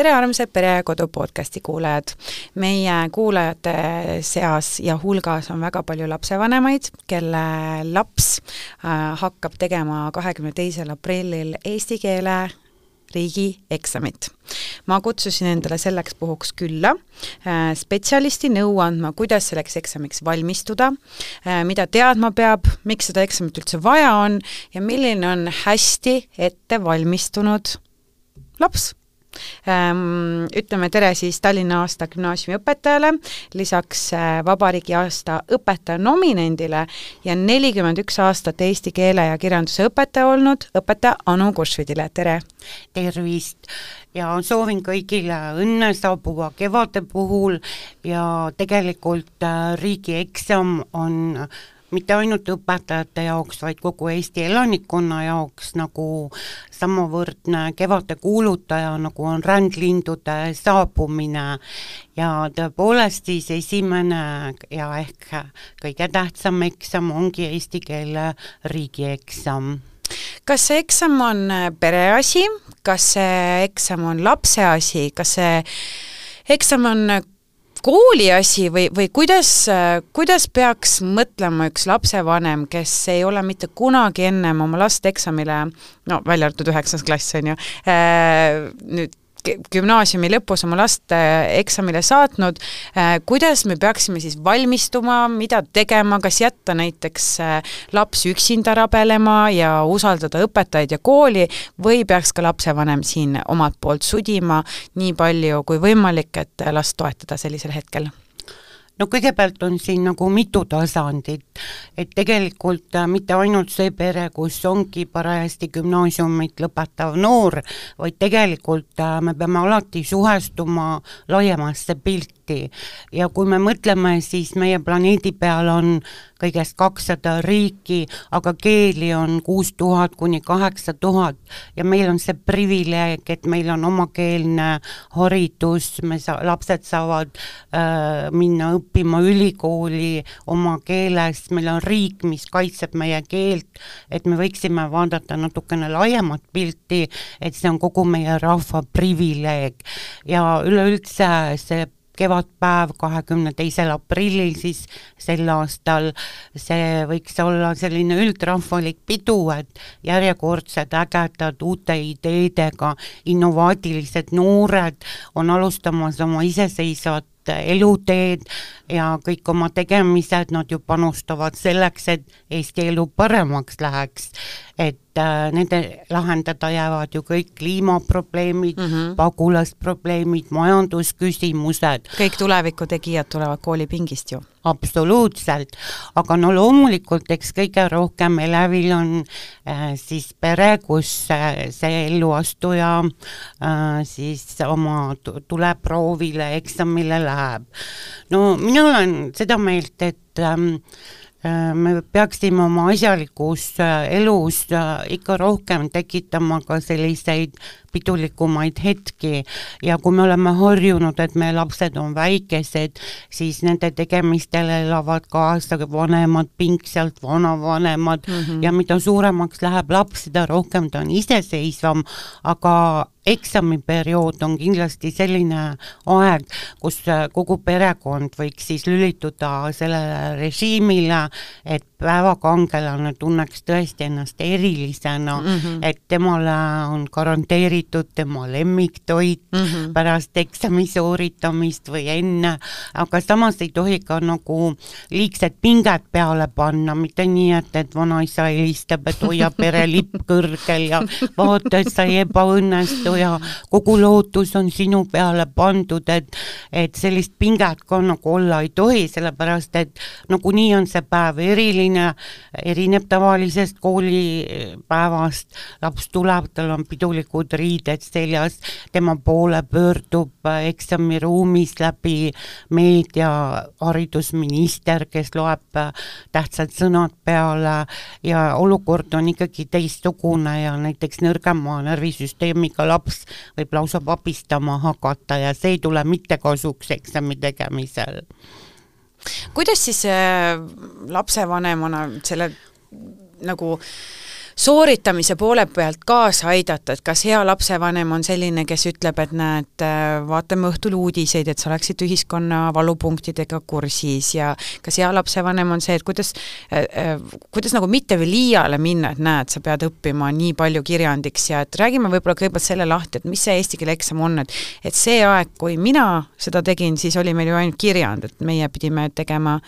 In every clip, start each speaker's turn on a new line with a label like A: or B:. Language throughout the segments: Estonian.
A: tere armsad Pere ja Kodu podcasti kuulajad. Meie kuulajate seas ja hulgas on väga palju lapsevanemaid, kelle laps hakkab tegema 22. aprillil eesti keele riigieksamit. Ma kutsusin endale selleks puhuks külla spetsialisti nõu andma, kuidas selleks eksamiks valmistuda, mida teadma peab, miks seda eksamit üldse vaja on ja milline on hästi ette valmistunud laps. Ütleme tere siis Tallinna aasta gümnaasiumi õpetajale, lisaks vabariigi aasta õpetaja nominendile ja 41 aastat eesti keele ja kirjanduse õpetaja olnud õpetaja Anu Kursvidile. Tere!
B: Tervist! Ja soovin kõigile õnne saabuva kevade puhul ja tegelikult riigieksam on mitte ainult õpetajate jaoks, vaid kogu Eesti elanikkonna jaoks nagu samavõrdne kevade kuulutaja, nagu on rändlindude saabumine ja tõepoolest siis esimene ja ehk kõige tähtsam eksam ongi eesti keele riigieksam.
A: Kas see eksam on pereasi, kas see eksam on lapse asi, kas see eksam on kooli asi või kuidas peaks mõtlema üks lapsevanem, kes ei ole mitte kunagi ennem oma last eksamile, välja arvatud 9. klass on ju, nüüd gümnaasiumi lõpus oma last eksamile saatnud, kuidas me peaksime siis valmistuma, mida tegema, kas jätta näiteks laps üksinda rabelema ja usaldada õpetajaid ja kooli või peaks ka lapsevanem siin omalt poolt sudima nii palju kui võimalik, et last toetada sellisel hetkel?
B: No kõigepealt on siin nagu mitu tasandit, et tegelikult mitte ainult see pere, kus ongi parajasti gümnaasiumit lõpetav noor, vaid tegelikult me peame alati suhestuma laiemasse pilti ja kui me mõtleme, siis meie planeedi peal on kõigest 200 riiki, aga keeli on 6000 kuni 8000 ja meil on see privileeg, et meil on omakeelne haridus, lapsed saavad minna õppima ülikooli oma keeles, meil on riik, mis kaitseb meie keelt, et me võiksime vaadata natukene laiemat pilti, et see on kogu meie rahva privileeg ja üleüldse see kevadpäev 22. aprillil siis sel aastal, see võiks olla selline üldrahvalik pidu, et järjekordsed ägedad uute ideedega innovaatilised noored on alustamas oma iseseisvat eluteed ja kõik oma tegemised, nad ju panustavad selleks, et Eesti elu paremaks läheks, et nende lahendada jäävad ju kõik kliimaprobleemid, pagulasprobleemid, majandusküsimused.
A: Kõik tulevikutegijad tulevad koolipingist ju.
B: Absoluutselt, aga no loomulikult eks kõige rohkem elevil on siis pere, kus see elluastuja siis oma tuleproovile, eksamile läheb. No mina olen seda meelt, et me peaksime oma asjalikus elus ikka rohkem tekitama ka selliseid pidulikumaid hetki ja kui me oleme harjunud, et meie lapsed on väikesed, siis nende tegemistele elavad kaasa vanemad, pingsalt vanavanemad ja mida suuremaks läheb laps, seda rohkem ta on iseseisvam, aga eksamiperiood on kindlasti selline aeg, kus kogu perekond võiks siis lülituda sellele režiimile, et päevakangelane tunneks tõesti ennast erilisena, et temale on garanteeritud tema lemmiktoit pärast eksami sooritamist või enne, aga samas ei tohi ka nagu liigset pinget peale panna, mitte nii, et vanaisa helistab, et hoia pere lipp kõrgel ja vaata, et sa ei ebaõnnestu ja kogu lootus on sinu peale pandud, et sellist pinget ka nagu olla ei tohi, sellepärast et nagu nii on see päev eriline, erineb tavalisest koolipäevast, laps tuleb, tal on pidulikud riided seljas, tema poole pöördub eksamiruumis läbi meedia haridusminister, kes loeb tähtsad sõnad peale ja olukord on ikkagi teistsugune ja näiteks nõrgema närvisüsteemiga laps võib lausa vabistama hakata ja see ei tule mitte kasuks eksami tegemisel.
A: Kuidas siis lapsevanemana selle nagu sooritamise poole pealt kaasa aidata, et kas hea lapsevanem on selline, kes ütleb, et näed, vaatame õhtul uudiseid, et sa oleksid ühiskonna valupunktidega kursis ja kas hea lapsevanem on see, et kuidas nagu mitte veel liiale minna, et näed, sa pead õppima nii palju kirjandiks ja et räägime võib-olla kõigepealt selle lahti, et mis see eesti keele eksam on, et see aeg, kui mina seda tegin, siis oli meil ju ainult kirjand, et meie pidime tegema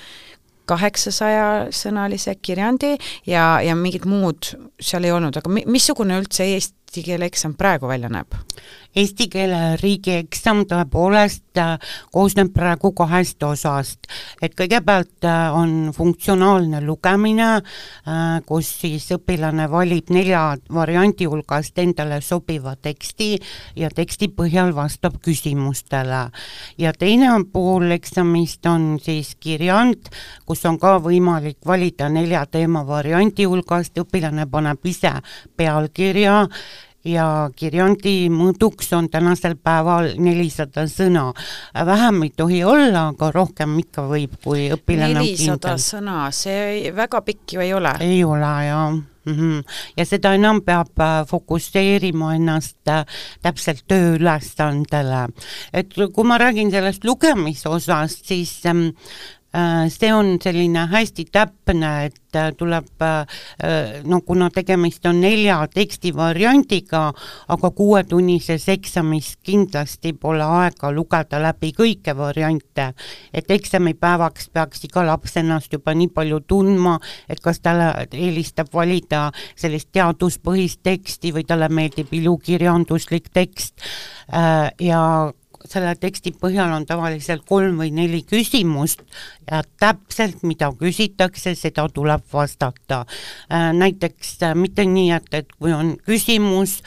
A: 800-sõnalise kirjandi ja mingid muud seal ei olnud, aga missugune üldse eesti keele eksam praegu välja näeb?
B: Eesti keele riigieksam tõepoolest koosneb praegu 2 osast, et kõigepealt on funktsionaalne lugemine, kus siis õpilane valib 4 variandi hulgast endale sobiva teksti ja teksti põhjal vastab küsimustele. Ja teine pool eksamist on siis kirjand, kus on ka võimalik valida 4 teema variandi hulgast, õpilane paneb ise pealkirja ja kirjandi mõõduks on tänasel päeval 400 sõna. Vähem ei tohi olla, aga rohkem ikka võib, kui õpilane
A: 400 sõna, see väga pikk ju ei ole.
B: Ei ole, jah. Ja seda enam peab fokusseerima ennast täpselt tööülesandele. Et kui ma räägin sellest lugemisosast, siis see on selline hästi täpne, et tuleb, kuna tegemist on 4 tekstivariandiga, aga 6-tunnises eksamis kindlasti pole aega lugeda läbi kõike variante, et eksamipäevaks peaks iga laps ennast juba nii palju tundma, et kas talle eelistab valida sellist teaduspõhist teksti või talle meeldib ilukirjanduslik tekst ja selle teksti põhjal on tavaliselt 3 või 4 küsimust ja täpselt mida küsitakse, seda tuleb vastata. Näiteks mitte nii, et kui on küsimus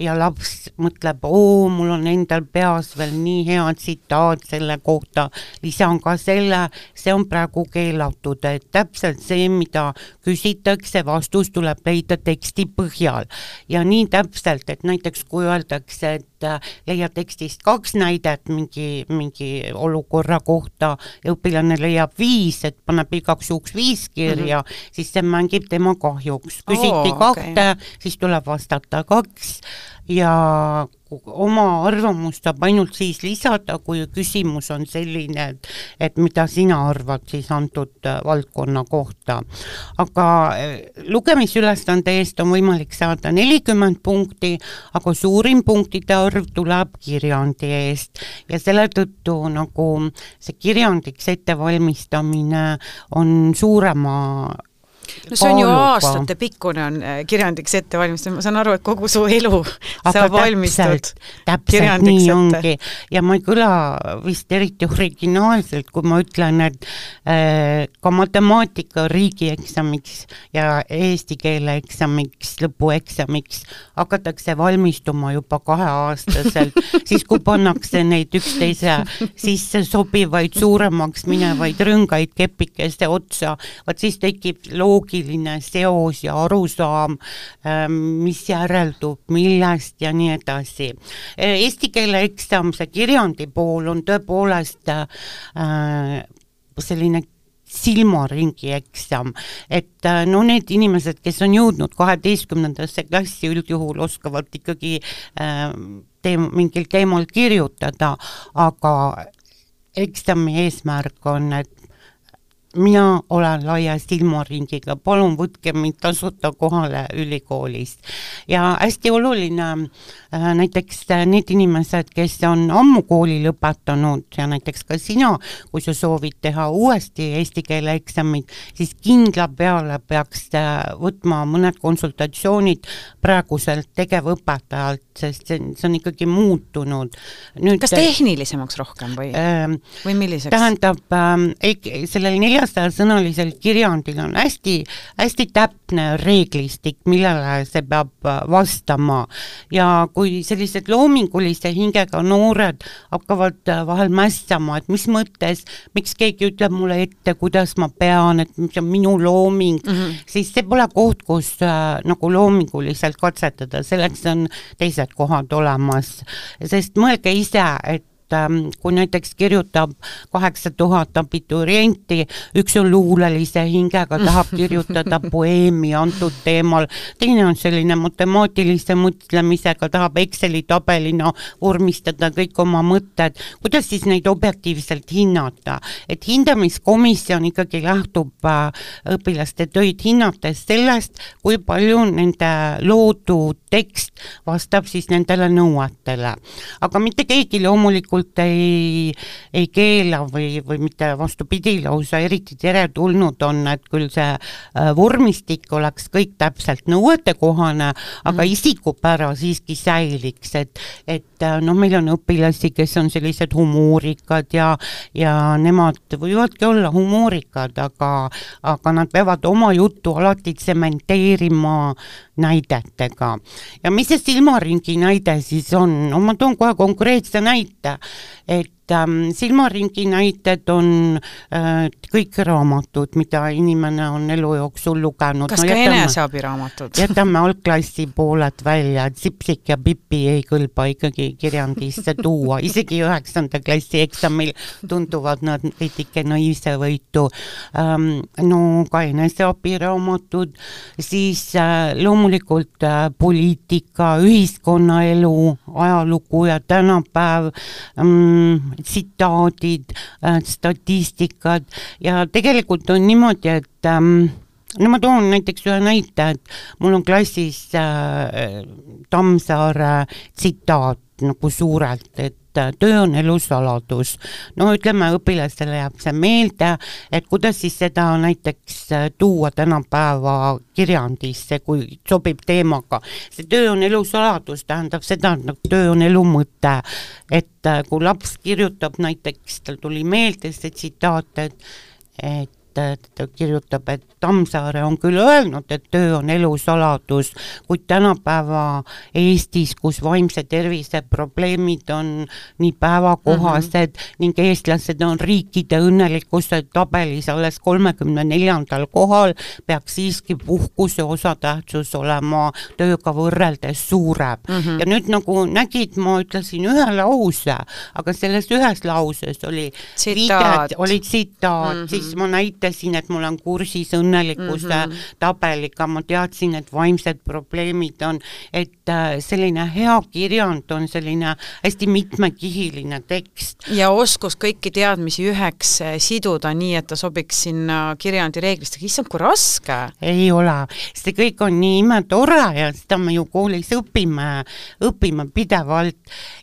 B: ja laps mõtleb, mul on endal peas veel nii hea tsitaat selle kohta, lisan ka selle, see on praegu keelatud, et täpselt see, mida küsitakse, vastus tuleb leida teksti põhjal. Ja nii täpselt, et näiteks kui öeldakse, et leia tekstist 2 näidet mingi olukorra kohta ja õpilane leiab 5, et paneb igaks juhuks 5 kirja, siis see mängib tema kahjuks. Küsiti 2, siis tuleb vastata 2 ja oma arvamust saab ainult siis lisada, kui küsimus on selline, et mida sina arvad siis antud valdkonna kohta. Aga lugemisülesande eest on võimalik saada 40 punkti, aga suurim punktide arv tuleb kirjandi eest ja selle tõttu nagu see kirjandiks ettevalmistamine on suurema
A: see on ju aastate pikkune on kirjandiks ette valmistada, ma saan aru, et kogu su elu saab valmistud
B: täpselt nii ongi ja ma ei kõla vist eriti originaalselt, kui ma ütlen, et ka matemaatika riigieksamiks ja eesti keele eksamiks, lõpueksamiks hakatakse valmistuma juba 2-aastaselt, siis kui pannakse neid üksteise sisse sobivaid suuremaks minevaid rõngaid kepikeste otsa, siis tekib loogiline seos ja arusaam, mis järeldub, millest ja nii edasi. Eesti keele eksam, see kirjandi pool on tõepoolest selline silmaringi eksam, et need inimesed, kes on jõudnud 12. klassi üldjuhul oskavad ikkagi mingil teemal kirjutada, aga eksami eesmärk on, et mina olen laia silmaringiga, palun võtke mind tasuta kohale ülikoolist. Ja hästi oluline näiteks need inimesed, kes on ammu kooli lõpetanud ja näiteks ka sina, kui sa soovid teha uuesti eesti keele eksamid, siis kindla peale peaks võtma mõned konsultatsioonid praeguselt tegevõpetajalt, sest see on ikkagi muutunud.
A: Kas tehnilisemaks rohkem või milliseks?
B: Tähendab, sellel 400-sõnalisel kirjandil on hästi täpne reeglistik, millele see peab vastama ja kui sellised loomingulise hingega noored hakkavad vahel mässama, et mis mõttes, miks keegi ütleb mulle ette, kuidas ma pean, et mis on minu looming, siis see pole koht, kus nagu loominguliselt katsetada, selleks on teised kohad olemas, sest mõelge ise, et kui näiteks kirjutab 8000 abiturienti, üks on luulelise hingega, tahab kirjutada poeemi antud teemal, teine on selline matemaatilise mõtlemisega, tahab Exceli tabelina vormistada kõik oma mõtted, kuidas siis neid objektiivselt hinnata, et hindamiskomisjon ikkagi lähtub õpilaste töid hinnates sellest, kui palju nende loodud tekst vastab siis nendele nõuetele. Aga mitte keegi loomulikult ei keela või mitte vastupidi lausa eriti teretulnud on, et küll see vormistik oleks kõik täpselt nõuetekohane, aga isikupära siiski säiliks, et meil on õpilasi, kes on sellised humoorikad ja nemad võivadki olla humoorikad, aga nad peavad oma juttu alati tsementeerima näidetega. Ja mis see silmaringi näide siis on? No ma toon kohe konkreetse näite, et silmaringi näited on kõik raamatud, mida inimene on elu jooksul lugenud.
A: Kas ka eneseabiraamatud?
B: Jätame algklassi pooled välja, et Sipsik ja Pipi ei kõlba ikkagi kirjandisse tuua. Isegi 9. klassi eksamil tunduvad nad veidike naiivse võitu. No ka eneseabiraamatud, siis loomulikult poliitika, ühiskonnaelu, ajalugu ja tänapäev, tsitaadid, statistikad ja tegelikult on niimoodi, et ma toon näiteks ühe näite, et mul on klassis Tammsaare tsitaat nagu suurelt, et töö on elu saladus. No ütleme, õpilastele jääb see meelde, et kuidas siis seda näiteks tuua tänapäeva kirjandisse, kui sobib teemaga. See töö on elu saladus, tähendab seda, et töö on elu mõte. Et kui laps kirjutab näiteks, tal tuli meelde see tsitaat, et ta kirjutab, et Tammsaare on küll öelnud, et töö on elu saladus, kuid tänapäeva Eestis, kus vaimse tervise probleemid on nii päevakohased ning eestlased on riikide õnnelikkuse tabelis alles 34. kohal, peaks siiski puhkuse osatähtsus olema tööga võrreldes suurem. Ja nüüd nagu nägid, ma ütlesin ühe lause, aga selles ühes lauses oli tsitaat, siis ma näitasin, et mul on kursis õnnelikkuse tabeliga, ma teadsin, et vaimsed probleemid on, et selline hea kirjand on selline hästi mitmekihiline tekst.
A: Ja oskus kõiki teadmisi üheks siduda nii, et ta sobiks sinna kirjandi reeglistega. Issand, kui raske?
B: Ei ole. See kõik on nii imetore ja seda me ju koolis õpime pidevalt.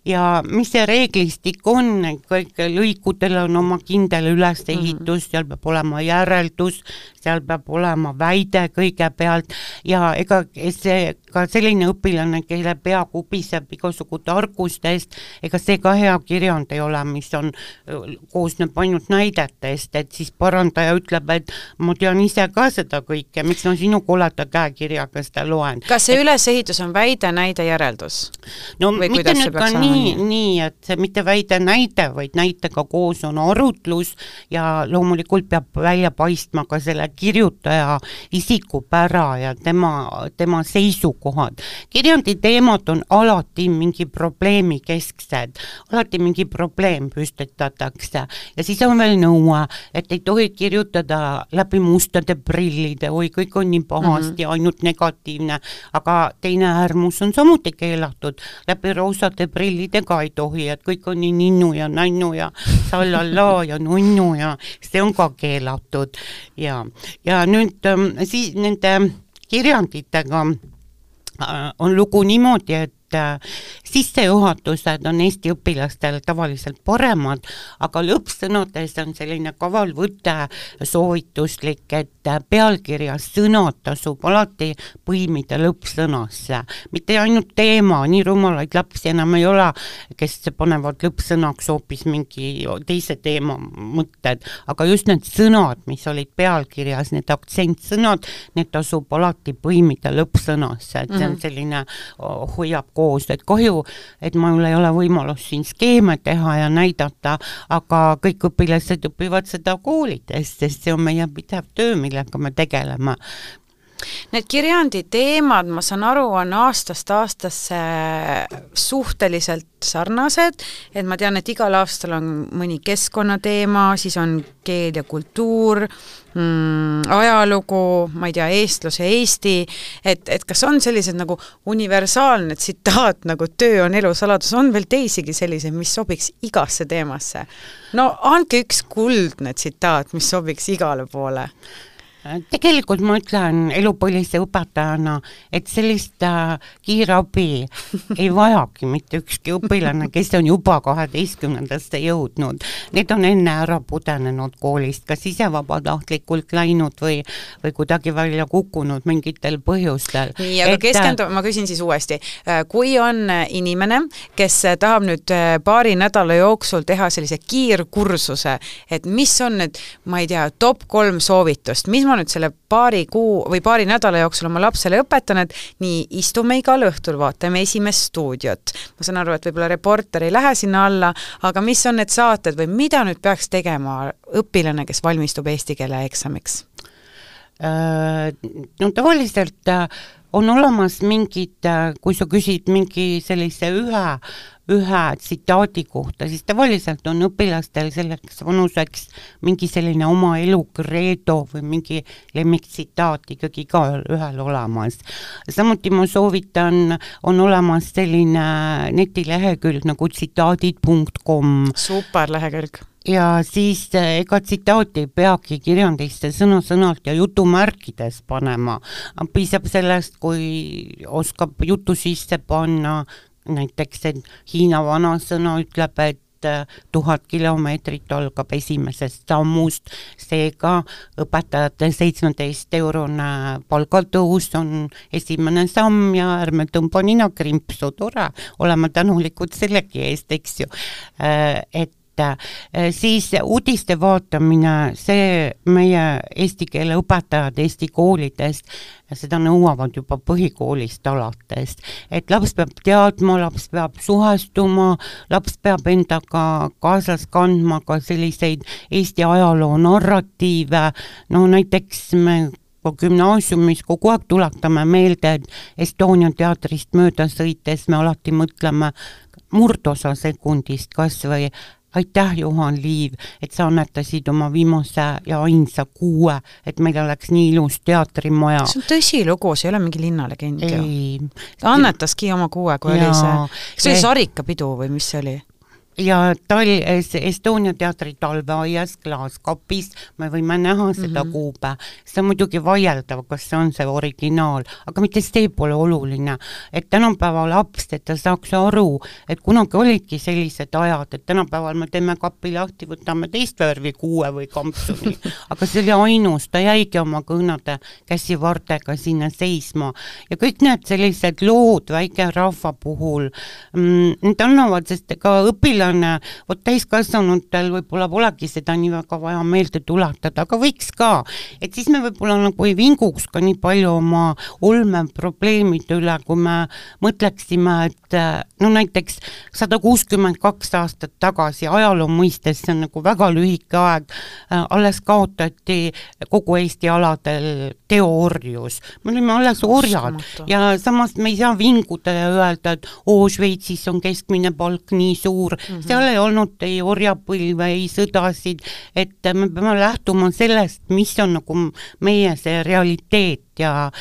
B: Ja mis see reeglistik on, kõik lõikudel on oma kindel ülesehitus, seal peab olema järeldus, seal peab olema väide kõigepealt ja ega see ka selline õpilane, kelle pea kubiseb igasugu tarkustest, ega see ka hea kirjand ei ole, mis on, koosneb ainult näidetest, et siis parandaja ütleb, et ma tean ise ka seda kõike, miks ma sinu koleda käekirjaga seda loen.
A: Kas see ülesehitus on väide, näide, järeldus?
B: No mitte nüüd ka nii, et see mitte väide, näide, vaid näitega koos on arutlus ja loomulikult peab välja paistma ka selle kirjutaja isikupära ja tema seisukohad. Kirjandi teemad on alati mingi probleemi kesksed, alati mingi probleem püstetatakse ja siis on veel nõue, et ei tohi kirjutada läbi mustade prillide, oi, kõik on nii pahasti, ainult negatiivne, aga teine äärmus on samuti keelatud, läbi roosade prillidega ei tohi, et kõik on nii ninnu ja nännu ja sallalla ja nunnu ja see on ka keelatud ja nüüd siis nende kirjanditega on lugu niimoodi, et sissejuhatused on Eesti õpilastel tavaliselt paremad, aga lõppsõnades on selline kavalvõte soovituslik, et pealkirjas sõnad tasub alati põimida lõppsõnasse. Mitte ainult teema, nii rumalaid lapsi enam ei ole, kes panevad lõppsõnaks hoopis mingi teise teema mõtted, aga just need sõnad, mis olid pealkirjas, need aktsentsõnad, need tasub alati põimida lõppsõnasse, et see on selline hoiab koos, et kahju, et mul ei ole võimalus siin skeeme teha ja näidata, aga kõik õpilased õpivad seda koolides, sest see on meie pidev töö, millega me tegeleme.
A: Need kirjandi teemad, ma saan aru, on aastast aastasse suhteliselt sarnased, et ma tean, et igal aastal on mõni keskkonnateema, siis on keel ja kultuur, ajalugu, ma ei tea, eestlus ja Eesti, et kas on sellised nagu universaalne tsitaat, nagu töö on elu saladus, on veel teisigi selliseid, mis sobiks igasse teemasse? No andke üks kuldne tsitaat, mis sobiks igale poole.
B: Tegelikult ma ütlen elupõlise õpetajana, et sellist kiirabi ei vajagi mitte ükski õpilane, kes on juba 12. jõudnud. Need on enne ära pudenenud koolist, kas ise vabatahtlikult läinud või kuidagi välja kukkunud mingitel põhjustel.
A: Nii, aga ma küsin siis uuesti. Kui on inimene, kes tahab nüüd paari nädala jooksul teha sellise kiirkursuse, et mis on need, ma ei tea, top 3 soovitust, mis ma nüüd selle paari kuu või paari nädala jooksul oma lapsele õpetan, et nii istume igal õhtul, vaatame esimest stuudiot. Ma saan aru, et võib-olla reporter ei lähe sinna alla, aga mis on need saated või mida nüüd peaks tegema õpilane, kes valmistub eesti keele eksamiks?
B: No tavaliselt on olemas mingid, kui sa küsid mingi sellise ühe tsitaadi kohta, siis tavaliselt on õpilastel selleks vanuseks mingi selline oma elu kreedo või mingi lemmiktsitaat ikkagi ka ühel olemas. Samuti ma soovitan, on olemas selline netilehekülg nagu tsitaadid.com.
A: Super lehekülg.
B: Ja siis ega tsitaati ei peagi kirjandisse sõna-sõnalt ja jutumärkides panema. Piisab sellest, kui oskab jutu sisse panna, näiteks, et Hiina vanasõna ütleb, et 1000 kilomeetrit algab esimesest sammust, seega õpetajate 17-eurone palgatõus on esimene samm ja ärme tõmba nina krimpsu, tore, oleme tänulikud sellegi eest, eks ju, et siis uudiste vaatamine, see meie eesti keele õpetajad Eesti koolidest, seda nõuavad juba põhikoolist alates, et laps peab teadma, laps peab suhestuma, laps peab endaga kaasas kandma ka selliseid Eesti ajaloo narratiive, no näiteks me gümnaasiumis kogu aeg tuletame meelde, et Estonia teatrist mööda sõites me alati mõtleme murdosa sekundist kas või aitäh, Juhan Liiv, et sa annetasid oma viimase ja ainsa 6, et meil oleks nii ilus teatrimaja.
A: See on tõsilugu, see ei ole mingi linnalegend. Ta annetaski oma 6, kui oli see oli sarikapidu või mis see oli?
B: Ja Estonia teatri talveaias klaaskapis me võime näha seda kuube. See on muidugi vaieldav, kas see on see originaal, aga mitte see pole oluline, et tänapäeva laps, et ta saaks aru, et kunagi olidki sellised ajad, et tänapäeval me teeme kapi lahti, võtame teist värvi 6 või kampsuni, aga see oli ainus, ta jäigi oma kõhnade käsivartega sinna seisma ja kõik need sellised lood väike rahva puhul, need annavad, sest ka õpilane vot täiskasvanutel võib-olla polegi seda nii väga vaja meelde tuletada, aga võiks ka, et siis me võib-olla nagu ei vinguks ka nii palju oma olmeprobleemide üle, kui me mõtleksime, et no näiteks 162 aastat tagasi ajaloo mõistes, see on nagu väga lühike aeg, alles kaotati kogu Eesti aladel teoorjus. Me olime alles orjad ja samas me ei saa vinguda ja öelda, et Šveitsis on keskmine palk nii suur, seal ei olnud ei orjapõlve, ei sõdasid, et me peame lähtuma sellest, mis on nagu meie see realiteet ja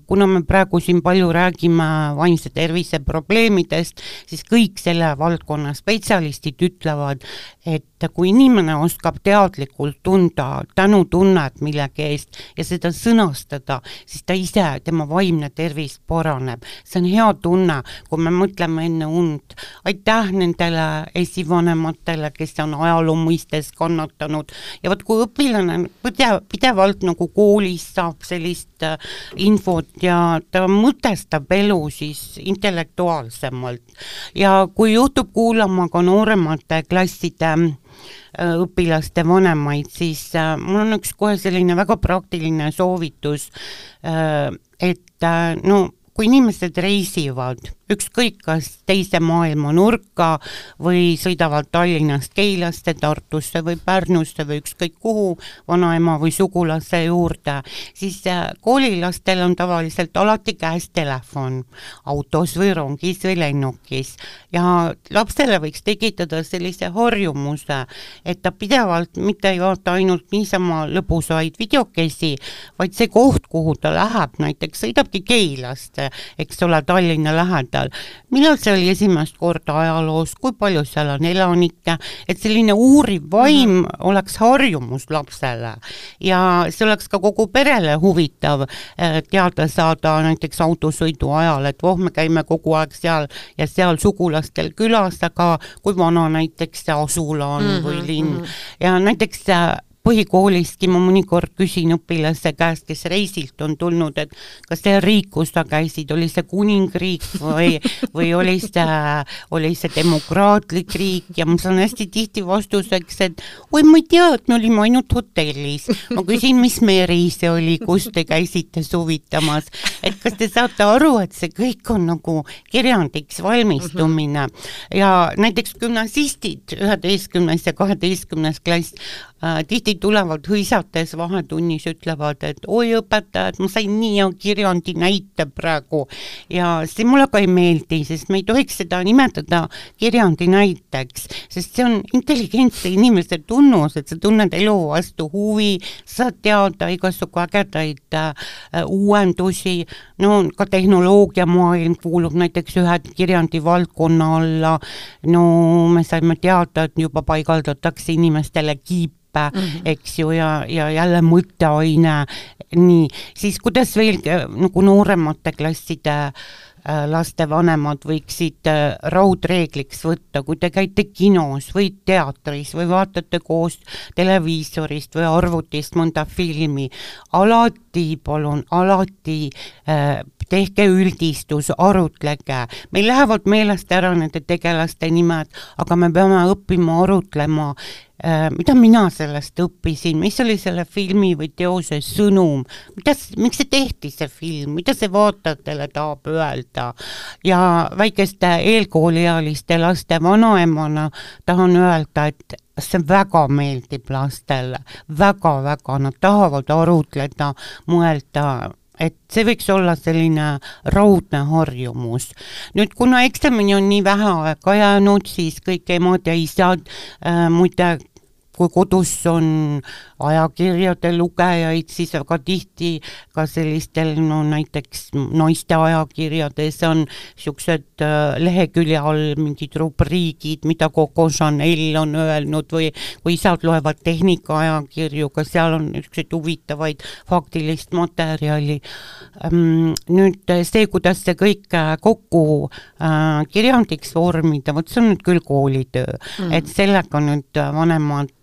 B: kuna me praegu siin palju räägime vaimse tervise probleemidest, siis kõik selle valdkonna spetsialistid ütlevad, et kui inimene oskab teadlikult tunda tänutunnet millegi eest ja seda sõnastada, siis ta ise, tema vaimne tervis paraneb. See on hea tunne, kui me mõtleme enne und. Aitäh nendele esivanematele, kes on ajaloo mõistes kannatanud. Ja võt, kui õpilane pidevalt nagu koolis saab sellist infot ja ta mõtestab elu siis intellektuaalsemalt. Ja kui juhtub kuulama ka nooremate klasside õpilaste vanemaid, siis mul on üks kohe selline väga praktiline soovitus, et no kui inimesed reisivad, ükskõik kas teise maailma nurka või sõidavad Tallinnast Keilasse, Tartusse või Pärnusse või ükskõik kuhu vanaema või sugulase juurde, siis koolilastel on tavaliselt alati käes telefon, autos või rongis või lennukis ja lapsele võiks tekitada sellise harjumuse, et ta pidevalt mitte ei vaata ainult niisama lõbusaid videokesi, vaid see koht, kuhu ta läheb, näiteks sõidabki Keilasse, eks ole, Tallinna lähedal. Millal see oli esimest korda ajaloos, kui palju seal on elanikke, et selline uuriv vaim oleks harjumus lapsele ja see oleks ka kogu perele huvitav teada saada näiteks autosõidu ajal, et me käime kogu aeg seal ja seal sugulastel külas, aga kui vana näiteks see asula on või linn ja näiteks põhikooliski ma mõnikord küsin õpilase käest, kes reisilt on tulnud, et kas see riik, kus sa käisid, oli see kuningriik või oli see demokraatlik riik ja ma saan hästi tihti vastuseks, et oi, ma ei tea, et me olime ainult hotellis. Ma küsin, mis meri see oli, kus te käisite suvitamas, et kas te saate aru, et see kõik on nagu kirjandiks valmistumine ja näiteks gümnasistid 11. ja 12. klass tihti tulevad hõisates vahetunnis, ütlevad, et oi õpetajad, ma sain nii hea kirjandi näite praegu ja see mulle ka ei meeldi, sest me ei tohiks seda nimetada kirjandi näiteks, sest see on intelligentse inimese tunnus, et sa tunned elu vastu huvi, saad teada igasugu ägedaid uuendusi, no ka tehnoloogiamaailm kuulub näiteks ühe kirjandi valdkonna alla, no me saime teada, et juba paigaldatakse inimestele kiip, eks ju, ja jälle mõtteaine, nii, siis kuidas veel nagu nooremate klasside laste vanemad võiksid raudreegliks võtta, kui te käite kinos või teatris või vaatate koos televiisorist või arvutist mõnda filmi, alati tehke üldistus, arutlege. Meil lähevad meelest ära nende tegelaste nimed, aga me peame õppima arutlema, mida mina sellest õppisin, mis oli selle filmi või teose sõnum, miks see tehti see film, mida see vaatajatele tahab öelda ja väikeste eelkooliealiste laste vanaemana tahan öelda, et see väga meeldib lastele, väga-väga, nad tahavad arutleda, mõelda, et see võiks olla selline raudne harjumus. Nüüd, kuna eksamini on nii vähe aega jäänud, siis kõik emad ja isad muide, kui kodus on ajakirjade lugejaid, siis väga tihti ka sellistel, no näiteks naiste ajakirjades on niisugused lehekülje all mingid rubriigid, mida Coco Chanel on öelnud või kui isad loevad tehnika ajakirju, ka seal on niisuguseid huvitavaid faktilist materjali. Nüüd see, kuidas see kõik kokku kirjandiks vormida, vot see on nüüd küll koolitöö, et sellega nüüd vanemad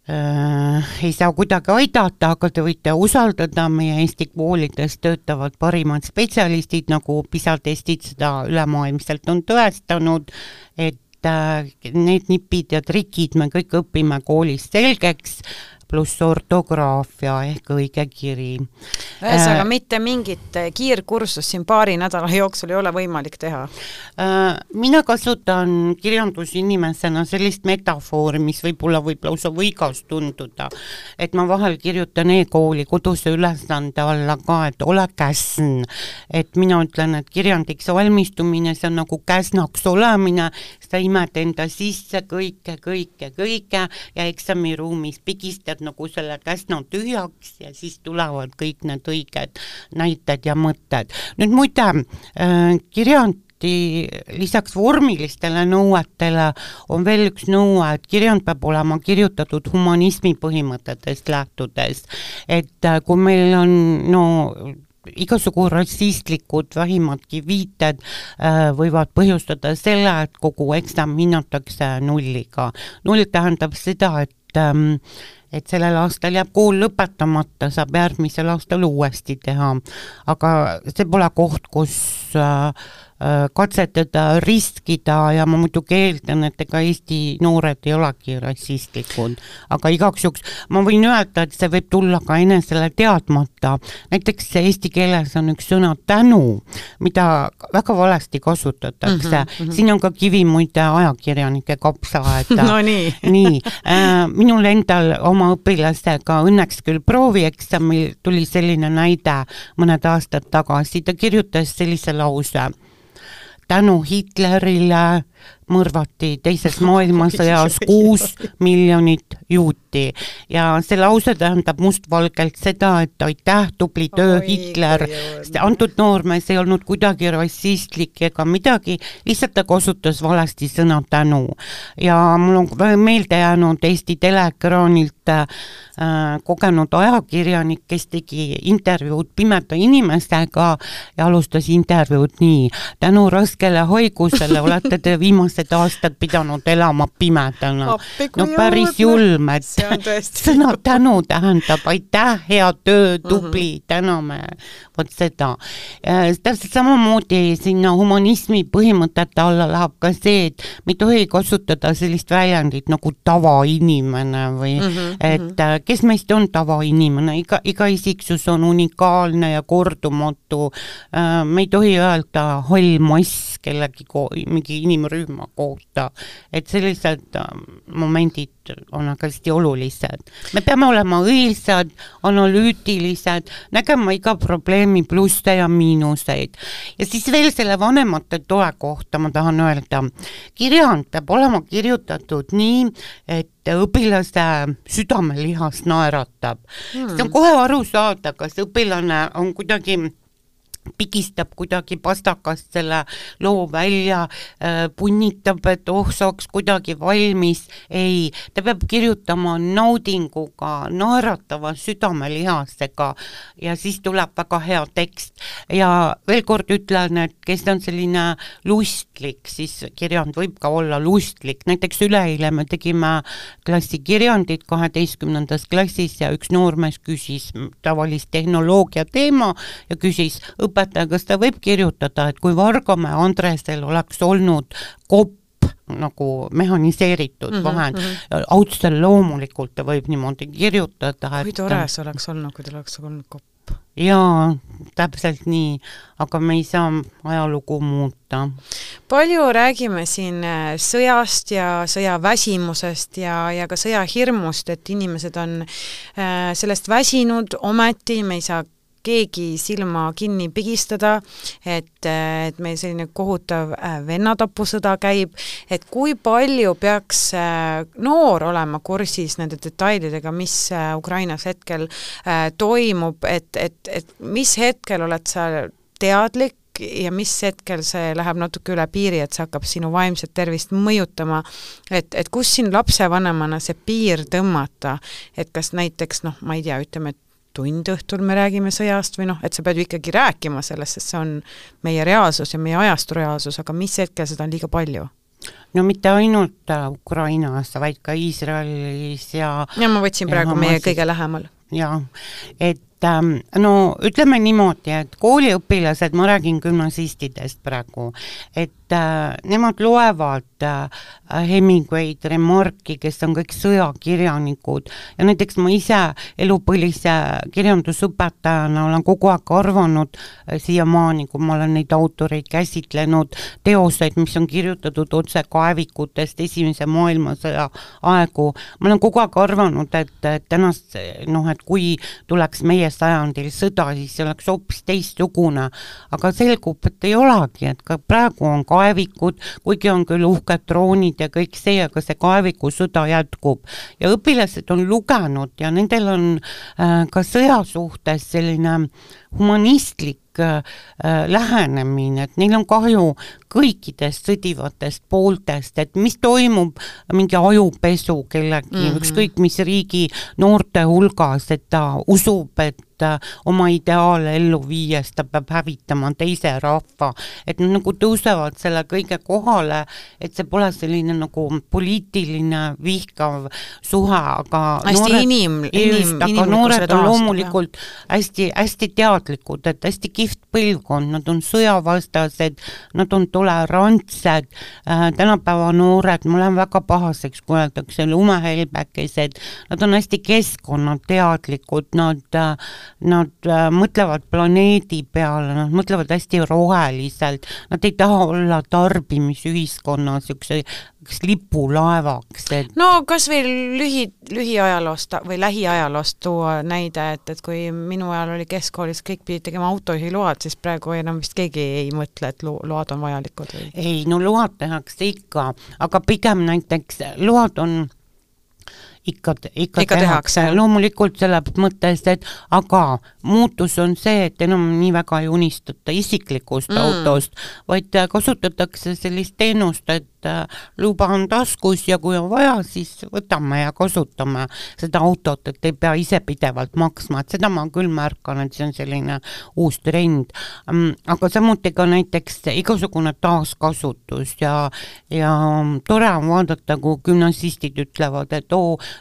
B: ei saa kuidagi aidata, aga te võite usaldada, meie Eesti koolides töötavad parimad spetsialistid, nagu PISA-testid seda ülemaailmselt on tõestanud, et need nipid ja trikid me kõik õpime koolis selgeks, pluss ortograafia ehk õige kiri.
A: Ühesõnaga, mitte mingit kiirkursust siin paari nädala jooksul ei ole võimalik teha?
B: Mina kasutan kirjandusinimesena sellist metafoori, mis võib-olla võib lausa võigas tunduda, et ma vahel kirjutan e-kooli koduse ülesande alla ka, et ole käsn, et mina ütlen, et kirjandiks valmistumine, see on nagu käsnaks olemine, sa imed enda sisse kõike ja eksamiruumis pigistad nagu selle käsna tühjaks ja siis tulevad kõik need õiged näited ja mõtted. Nüüd muide, kirjandi lisaks vormilistele nõuetele on veel üks nõue, et kirjand peab olema kirjutatud humanismi põhimõtetest lähtudes, et kui meil on igasugu rassistlikud vähimadki viited võivad põhjustada selle, et kogu eksam hinnatakse nulliga. Null tähendab seda, et sellel aastal jääb kool lõpetamata, saab järgmisel aastal uuesti teha, aga see pole koht, kus katsetada, riskida ja ma muidugi eeldan, et ega Eesti noored ei olegi rassistlikud, aga igaks juhuks ma võin öelda, et see võib tulla ka enesele teadmata. Näiteks eesti keeles on üks sõna tänu, mida väga valesti kasutatakse. Siin on ka kivi muide ajakirjanike kapsaaeda.
A: No nii.
B: Nii. Minul endal oma õpilastega õnneks küll proovieksamil tuli selline näide mõned aastad tagasi. Ta kirjutas sellise lause. Tänu Hitlerile mõrvati teises maailmasõjas 6 miljonit juuti ja see lause tähendab mustvalgelt seda, et aitäh, tubli töö, Hitler. Antud noormees ei olnud kuidagi rassistlik ega midagi, lihtsalt ta kasutas valesti sõna tänu. Ja mul on meelde jäänud Eesti teleekraanilt kogenud ajakirjanik, kes tegi intervjuud pimeda inimestega ja alustas intervjuud nii. Tänu raskele haigusele olete te viimased aastad pidanud elama pimedana. No päris julm, et sõna tänu tähendab aitäh, hea töö, tubli, täname, vot seda. Täpselt samamoodi sinna humanismi põhimõtete alla läheb ka see, et me ei tohi kasutada sellist väljendit nagu tavainimene või et kes meist on tavainimene, iga isiksus on unikaalne ja kordumatu. Me ei tohi öelda hall mass kellegi mingi inimrühma kohta, et sellised momendid on aga hästi olulised. Me peame olema õilsad, analüütilised, nägema iga probleemi plusse ja miinuseid. Ja siis veel selle vanemate toe kohta ma tahan öelda. Kirjand peab olema kirjutatud nii, et õpilase südamelihas naeratab. See on kohe aru saada, kas õpilane on kuidagi pigistab kuidagi pastakast selle loo välja, punnitab, et saaks kuidagi valmis. Ei, ta peab kirjutama naudinguga, naeratava südamelihasega ja siis tuleb väga hea tekst. Ja veel kord ütlen, et kes on selline lustlik, siis kirjand võib ka olla lustlik. Näiteks üleeile me tegime klassikirjandit 12. klassis ja üks noormees küsis tavalist tehnoloogia teema ja küsis õpetaja, kas ta võib kirjutada, et kui Vargamäe Andresel oleks olnud kopp nagu mehaniseeritud vahend, autsel loomulikult ta võib niimoodi kirjutada.
A: Kui tore see oleks olnud, kui tal oleks olnud kopp.
B: Jaa, täpselt nii, aga me ei saa ajalugu muuta.
A: Palju räägime siin sõjast ja sõjaväsimusest ja ka sõjahirmust, et inimesed on sellest väsinud, ometi me ei saa keegi silma kinni pigistada, et meil selline kohutav vennatapusõda käib, et kui palju peaks noor olema kursis nende detailidega, mis Ukrainas hetkel toimub, et mis hetkel oled sa teadlik ja mis hetkel see läheb natuke üle piiri, et see hakkab sinu vaimset tervist mõjutama, et kus siin lapsevanemana see piir tõmmata, et kas näiteks, ma ei tea, ütleme, et tund õhtul me räägime sõjast või et sa pead ju ikkagi rääkima sellest, sest see on meie reaalsus ja meie ajastu reaalsus, aga mis hetkel seda on liiga palju?
B: No mitte ainult Ukrainas, vaid ka Iisraelis ja
A: ma võtsin praegu meie kõige lähemal.
B: Ja, et ütleme niimoodi, et kooliõpilased, ma räägin gümnasistidest praegu, et nemad loevad Hemingway'd, Remarki, kes on kõik sõjakirjanikud ja näiteks ma ise elupõlise kirjandusõpetajana olen kogu aeg arvanud siiamaani, kui ma olen neid autoreid käsitlenud, teoseid, mis on kirjutatud otse kaevikutest esimese maailmasõja aegu. Ma olen kogu aeg arvanud, et tänast, et kui tuleks meie sajandil sõda, siis see oleks hoopis teistsugune, aga selgub, et ei olegi, et ka praegu on kaevikud, kuigi on küll uhked droonid ja kõik see, aga see kaevikusõda jätkub. Ja õpilased on lugenud ja nendel on ka sõja suhtes selline humanistlik lähenemine, et neil on kahju kõikidest sõdivatest pooltest, et mis toimub mingi ajupesu kellegi, ükskõik mis riigi noorte hulgas, et ta usub, et oma ideaale ellu viies ta peab hävitama teise rahva, et nad nagu tõusevad selle kõige kohale, et see pole selline nagu poliitiline vihkav suhe, aga noored on loomulikult hästi teadlikud, et hästi kihvt põlvkond, nad on sõjavastased, nad on tolerantsed, tänapäeva noored, ma olen väga pahaseks, kui öeldakse lumehelbekesed, nad on hästi keskkonnateadlikud, nad mõtlevad planeedi peale, nad mõtlevad hästi roheliselt, nad ei taha olla tarbimisühiskonnas üks lipulaevaks.
A: No kas või lühiajaloost või lähiajaloost tuua näide, et kui minu ajal oli keskkoolis, kõik pidid tegema autojuhiload, siis praegu enam vist keegi ei mõtle, et load on vajalikud või?
B: Ei, no load tehakse ikka, aga pigem näiteks load on ikka tehakse, loomulikult selle mõttes, et aga muutus on see, et enam nii väga ei unistata isiklikust autost, vaid kasutatakse sellist teenust, et luba on taskus ja kui on vaja, siis võtame ja kasutame seda autot, et ei pea ise pidevalt maksma, et seda ma küll märkan, et see on selline uus trend. Aga samuti ka näiteks igasugune taaskasutus ja tore on vaadata, kui gümnasistid ütlevad, et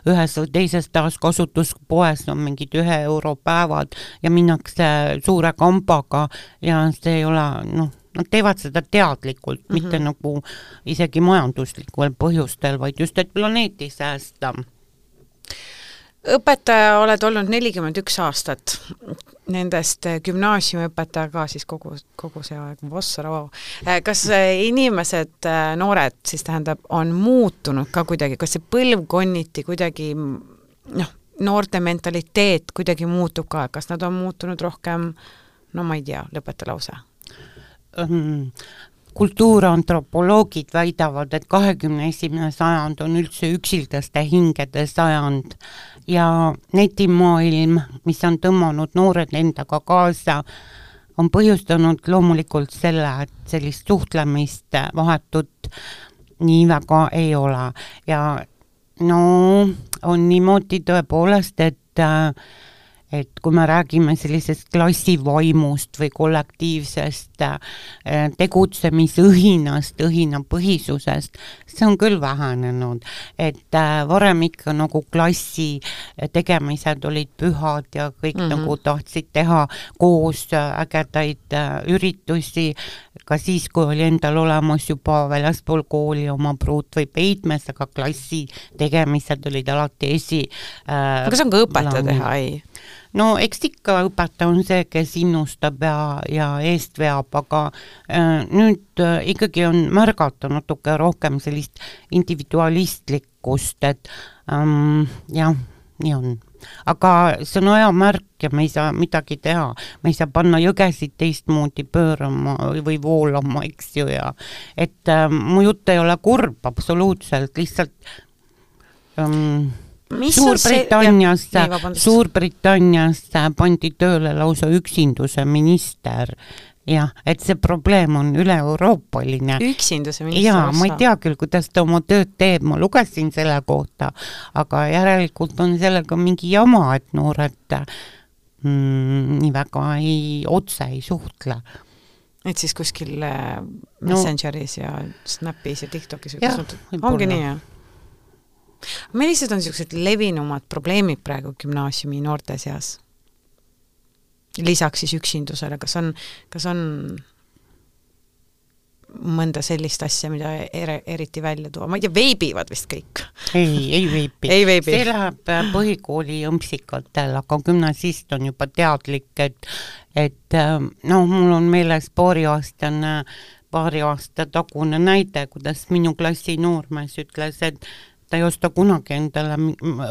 B: ühes või teises taaskasutuspoes on mingid €1 päevad ja minnakse suure kambaga ja see ei ole, nad teevad seda teadlikult, mitte nagu isegi majanduslikul põhjustel, vaid just, et planeeti säästa.
A: Õpetaja oled olnud 41 aastat, nendest gümnaasiumiõpetaja ka siis kogu see aeg, Vossarao. Kas inimesed, noored siis tähendab, on muutunud ka kuidagi, kas see põlvkonniti kuidagi, noorte mentaliteet kuidagi muutub ka, kas nad on muutunud rohkem, ma ei tea, lõpeta lause?
B: Kultuurantropoloogid väidavad, et 21. sajand on üldse üksildaste hingede sajand ja netimaailm, mis on tõmmanud noored endaga kaasa, on põhjustanud loomulikult selle, et sellist suhtlemist vahetut nii väga ei ole. Ja on niimoodi tõepoolest, et kui me räägime sellisest klassivaimust või kollektiivsest tegutsemisõhinast, õhinapõhisusest, see on küll vähenenud, et varem ikka nagu klassi tegemised olid pühad ja kõik nagu tahtsid teha koos ägedaid üritusi, ka siis, kui oli endal olemas juba väljaspool kooli oma pruut või peidmes, aga klassi tegemised olid alati
A: aga see on ka õpetaja teha, ei?
B: No eks ikka õpetaja on see, kes innustab ja eest veab, aga nüüd ikkagi on märgata natuke rohkem sellist individualistlikkust, et jah, nii on. Aga see on aja märk ja me ei saa midagi teha, me ei saa panna jõgesid teistmoodi pöörama või voolama, eks ju, ja et mu jutt ei ole kurb absoluutselt, lihtsalt Suurbritannias pandi tööle lausa üksinduse minister, jah, et see probleem on üle-euroopaline.
A: Üksinduse minister?
B: Jaa, ma ei tea küll, kuidas ta oma tööd teeb, ma lugesin selle kohta, aga järelikult on sellega mingi jama, et noored nii väga otse ei suhtle.
A: Et siis kuskil Messengeris ja Snapis ja TikTokis ongi nii, jah? Millised on sellised levinumad probleemid praegu gümnaasiumi noorte seas? Lisaks siis üksindusele, kas on mõnda sellist asja, mida eriti välja tuua? Ma ei tea, veibivad vist kõik?
B: Ei veibi. See läheb põhikooli õmpsikatel, aga gümnasist on juba teadlik, et mul on meeles paari aasta tagune näide, kuidas minu klassi noormees ütles, et ta ei osta kunagi endale,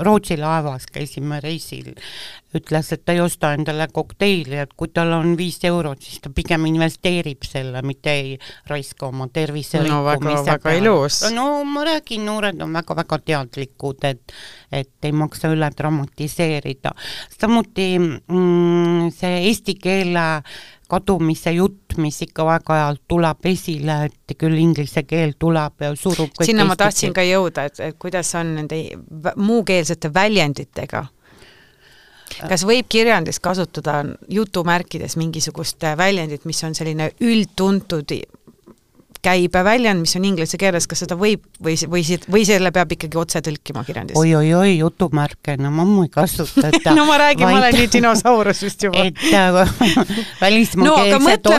B: Rootsi laevas käisime reisil, ütles, et ta ei osta endale kokteili, et kui tal on 5 eurot, siis ta pigem investeerib selle, mitte ei raiska oma tervise
A: väga ilus.
B: No ma räägin, noored on väga-väga teadlikud, et ei maksa üle dramatiseerida. Samuti see eesti keele kadumise jutt, mis ikka väga ajalt tuleb esile, et küll inglise keel tuleb ja surub kõik
A: sinna ma tahtsin ka jõuda, et kuidas on nende muukeelsete väljenditega? kas võib kirjandis kasutada jutumärkides mingisugust väljendit, mis on selline üldtuntud käibeväljend, mis on inglise keeles, kas seda võib või selle peab ikkagi otse tõlkima kirjandis?
B: Oi, jutumärke, no ma ammu ei kasutata.
A: No ma räägin, ma olen nii dinosaurus just juba.
B: Et välismaakeelset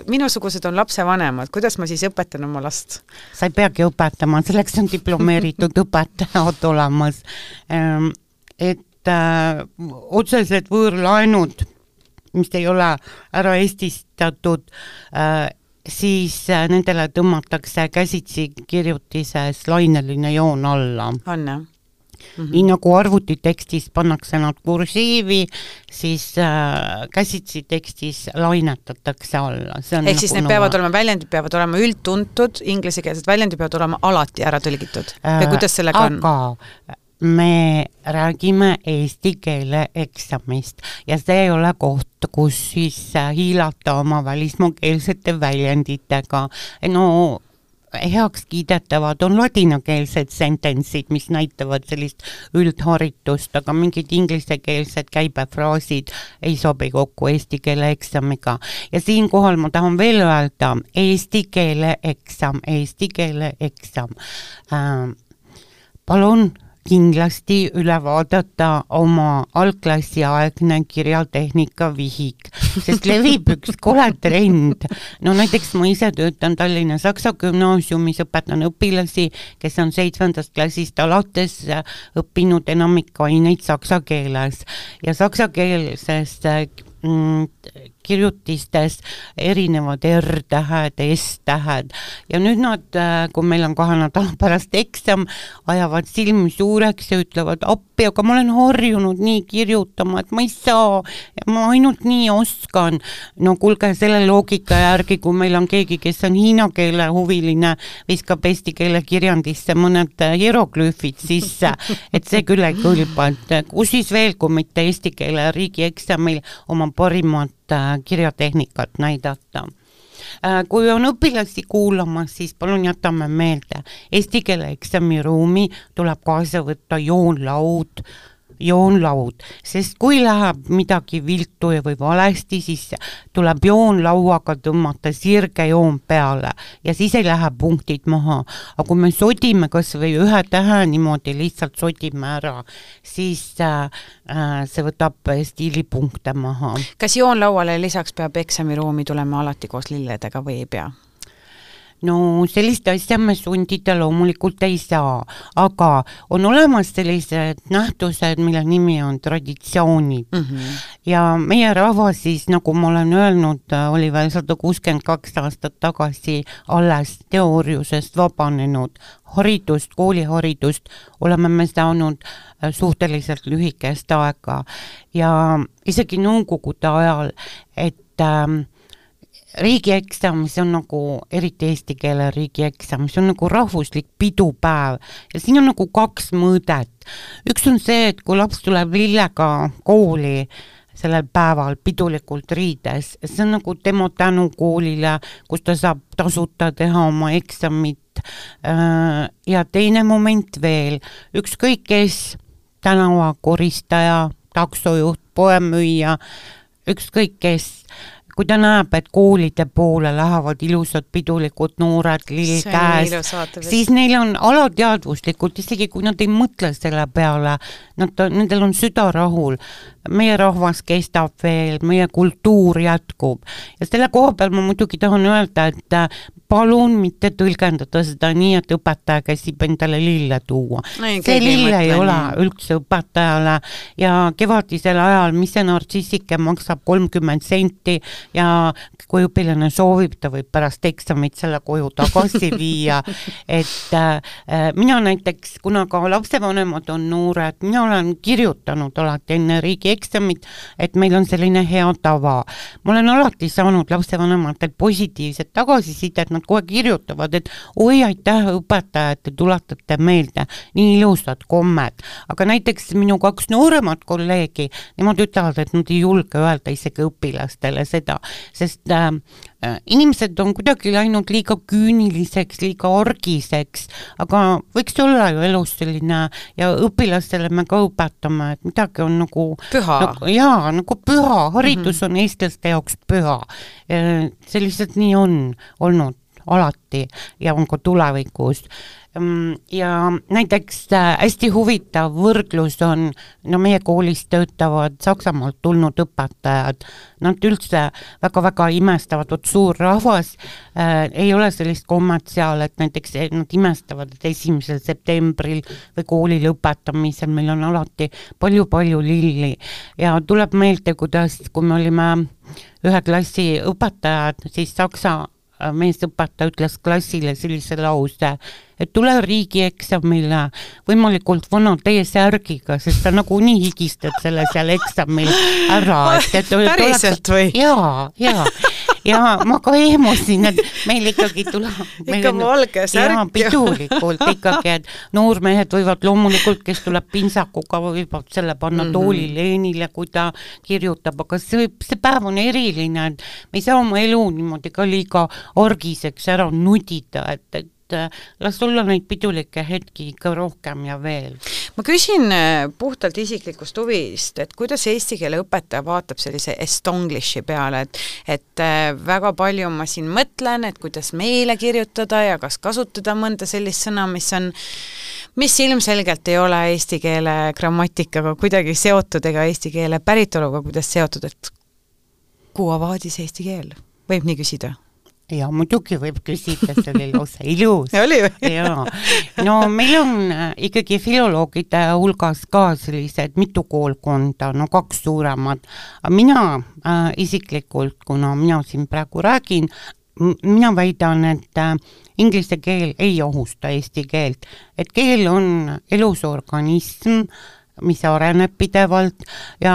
A: minusugused on lapsevanemad, kuidas ma siis õpetan oma last?
B: Sa ei peagi õpetama, selleks on diplomeeritud õpetajad olemas. Et otsesed võõrlaenud, mis ei ole ära eestistatud, siis nendele tõmmatakse käsitsi kirjutises laineline joon alla.
A: On, jah?
B: Nii nagu arvutitekstis pannakse nad kursiivi, siis käsitsi tekstis lainetatakse alla.
A: Ehk siis need peavad olema, väljendid peavad olema üldtuntud, inglisekeelsed väljendid peavad olema alati ära tõlgitud. Või kuidas sellega on?
B: Aga me räägime eesti keele eksamist ja see ei ole koht, kus siis hiilata oma välismaakeelsete väljenditega. No heaks kiidetavad on ladinakeelsed sententsid, mis näitavad sellist üldharitust, aga mingid inglisekeelsed käibefraasid ei sobi kokku eesti keele eksamiga. Ja siinkohal ma tahan veel öelda, eesti keele eksam. Palun kindlasti üle vaadata oma algklassi aegne kirjatehnika vihik, sest levib üks kole trend. No näiteks ma ise töötan Tallinna Saksa gümnaasiumis, õpetan õpilasi, kes on 7. klassist alates õppinud enamik aineid saksa keeles ja saksa keelses kirjutistes erinevad R-tähed, S-tähed ja nüüd nad, kui meil on 2 nädala pärast eksam, ajavad silmi suureks ja ütlevad appi, aga ma olen harjunud nii kirjutama, et ma ei saa, ma ainult nii oskan. No kuulge, selle loogika järgi, kui meil on keegi, kes on hiina keele huviline, viskab eesti keele kirjandisse mõned hieroglüüfid sisse, et see küll ei kõlba, et kus siis veel, kui mitte eesti keele riigieksamil oma parimat kirjatehnikat näidata. Kui on õpilasi kuulamas, siis palun jätame meelde, eesti keele eksami ruumi tuleb kaasa võtta joonlaud, sest kui läheb midagi viltu või valesti, siis tuleb joonlauaga tõmmata sirge joon peale ja siis ei lähe punktid maha. Aga kui me sodime kas või ühe tähe niimoodi lihtsalt sodime ära, siis see võtab stiilipunkte maha.
A: Kas joonlauale lisaks peab eksamiruumi tulema alati koos lilledega või ei pea?
B: No sellist asja me sundida loomulikult ei saa, aga on olemas sellised nähtused, mille nimi on traditsioonid. Ja meie rahvas siis, nagu ma olen öelnud, oli veel 162 aastat tagasi alles teooriusest vabanenud. Haridust, kooliharidust oleme me saanud suhteliselt lühikest aega ja isegi nõukogude ajal, et riigieksam, see on nagu, eriti eesti keele riigieksam, see on nagu rahvuslik pidupäev ja siin on nagu 2 mõõdet. Üks on see, et kui laps tuleb lillega kooli sellel päeval pidulikult riides, see on nagu tema tänu koolile, kus ta saab tasuta teha oma eksamit. Ja teine moment veel, ükskõik kes, tänavakoristaja, taksojuht, poemüüja, ükskõik kes, kui ta näeb, et koolide poole lähevad ilusad pidulikud noored lill käes, siis neil on alateadvuslikult, isegi kui nad ei mõtle selle peale, nendel on süda rahul. Meie rahvas kestab veel, meie kultuur jätkub. Ja selle koha peal ma muidugi tahan öelda, et palun mitte tõlgendada seda nii, et õpetaja käsib endale lille tuua. See lille ei ole üldse õpetajale ja kevadisel ajal, mis see nartsissike maksab 30 senti ja kui õpilane soovib, ta võib pärast eksamit selle koju tagasi viia. Et mina näiteks, kuna ka lapsevanemad on noored, mina olen kirjutanud alati enne riigi eksamit, et meil on selline hea tava. Ma olen alati saanud lapsevanematelt positiivset tagasisidet, nad kohe kirjutavad, et oi, aitäh õpetaja, et te tuletate meelde, nii ilusad kommed. Aga näiteks minu 2 nooremat kolleegi, nemad ütlevad, et nad ei julge öelda isegi õpilastele seda, sest inimesed on kuidagi läinud liiga küüniliseks, liiga orgiseks, aga võiks olla ju elus selline ja õpilastele me ka õpetame, et midagi on nagu
A: püha.
B: Nagu püha, haridus on eestlaste jaoks püha. See lihtsalt nii on olnud alati ja on ka tulevikus. Ja näiteks hästi huvitav võrdlus on, meie koolis töötavad Saksamaalt tulnud õpetajad, nad üldse väga-väga imestavad, suur rahvas, ei ole sellist kommet seal, et näiteks nad imestavad, et 1. septembril või kooli lõpetamisel meil on alati palju-palju lilli ja tuleb meelde, kuidas, kui me olime ühe klassi õpetajad, siis Saksa meesõpetaja ütles klassile sellise lause, et tule riigieksamile võimalikult vana T-särgiga, sest sa nagu nii higistad selle seal eksamil ära.
A: Päriselt või?
B: Ja ma ka ehmusin, et meil ikkagi tuleb
A: ikka valge särk.
B: Pidulikult ikkagi, et noormehed võivad loomulikult, kes tuleb pintsakuga, võivad selle panna toolileenile, kui ta kirjutab, aga see päev on eriline, et me ei saa oma elu niimoodi ka liiga orgiseks ära nudida, et las olla neid pidulikke hetki ikka rohkem ja veel.
A: Ma küsin puhtalt isiklikust huvist, et kuidas eesti keele õpetaja vaatab sellise estonglishi peale, et väga palju ma siin mõtlen, et kuidas meile kirjutada ja kas kasutada mõnda sellist sõna, mis ilmselgelt ei ole eesti keele grammatikaga kuidagi seotud ega eesti keele päritoluga, kuidas seotud, et kuhu avaadis eesti keel? Võib nii küsida?
B: Ja muidugi võib küsida, see oli lausa ilus.
A: Ja.
B: No meil on ikkagi filoloogide hulgas ka sellised mitu koolkonda, 2 suuremad. Mina isiklikult, kuna mina siin praegu räägin, mina väidan, et inglise keel ei ohusta eesti keelt, et keel on elusorganism, mis areneb pidevalt ja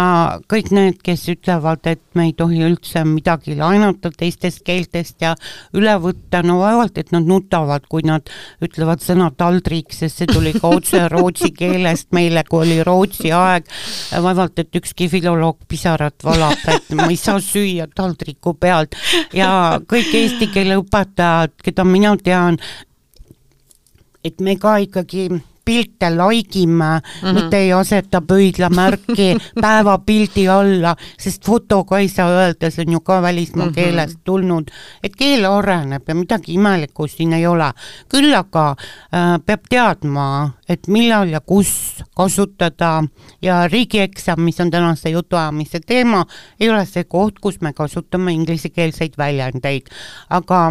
B: kõik need, kes ütlevad, et me ei tohi üldse midagi laenata teistest keeltest ja üle võtta, vaevalt, et nad nutavad, kui nad ütlevad sõna taldrik, sest see tuli ka otse rootsi keelest meile, kui oli rootsi aeg, vaevalt, et ükski filoloog pisarat valab, et ma ei saa süüa taldriku pealt ja kõik eesti keele õpetajad, keda mina tean, et me ka ikkagi pilte laigime, mitte ei aseta pöidlamärki päevapildi alla, sest fotoga ei saa öelda, see on ju ka välismaa keelest tulnud, et keel areneb ja midagi imelikku siin ei ole. Küll aga peab teadma, et millal ja kus kasutada ja riigieksam, mis on tänase jutuajamise teema, ei ole see koht, kus me kasutame inglisekeelseid väljendeid, aga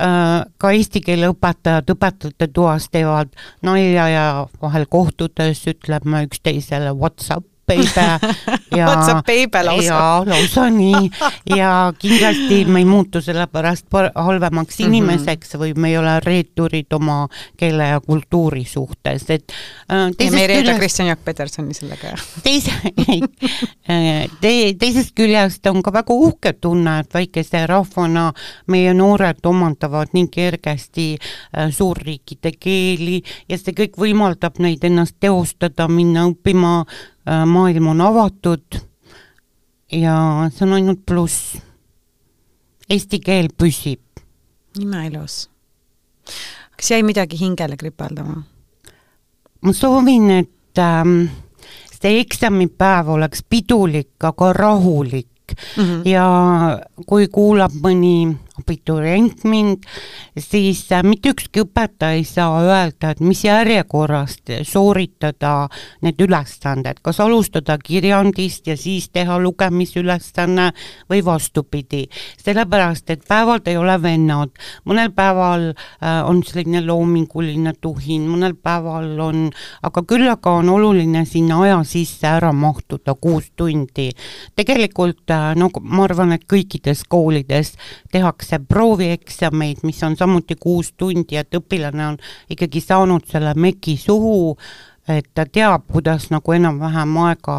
B: ka eesti keele õpetajad õpetajate toas teevad nalja ja vahel kohtudes ütleme üksteisele WhatsApp
A: baby
B: lausa nii ja kindlasti me ei muutu selle pärast halvemaks inimeseks või me ei ole reeturid oma keele ja kultuuri suhtes, et
A: me ei reeda Kristjan Jaak Petersoni sellega
B: teisest küljest on ka väga uhke tunne, et väikese rahvana meie noored omandavad nii kergesti suurriikide keeli ja see kõik võimaldab neid ennast teostada, minna õppima, maailm on avatud ja see on ainult pluss. Eesti keel püsib.
A: Imeilus. Kas jäi midagi hingele kripaldama?
B: Ma soovin, et see eksamipäev oleks pidulik, aga rahulik ja kui kuulab mõni abiturient mind, siis mitte ükski õpetaja ei saa öelda, et mis järjekorrast sooritada need ülesanded, kas alustada kirjandist ja siis teha lugemisülesanne või vastupidi. Sellepärast, et päevad ei ole vennad. Mõnel päeval on selline loominguline tuhin, mõnel päeval on, aga küll aga on oluline sinna aja sisse ära mahtuda 6 tundi. Tegelikult, ma arvan, et kõikides koolides tehakse proovieksameid, mis on samuti 6 tundi, et õpilane on ikkagi saanud selle meki suhu, et ta teab, kuidas nagu enam-vähem aega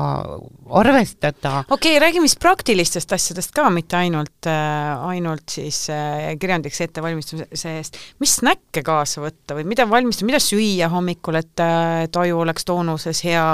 B: arvestada.
A: Okei, räägime siis praktilistest asjadest ka, mitte ainult siis kirjandiks ettevalmistamise eest. Mis snäkke kaasa võtta või mida valmistada, mida süüa hommikul, et aju oleks toonuses hea?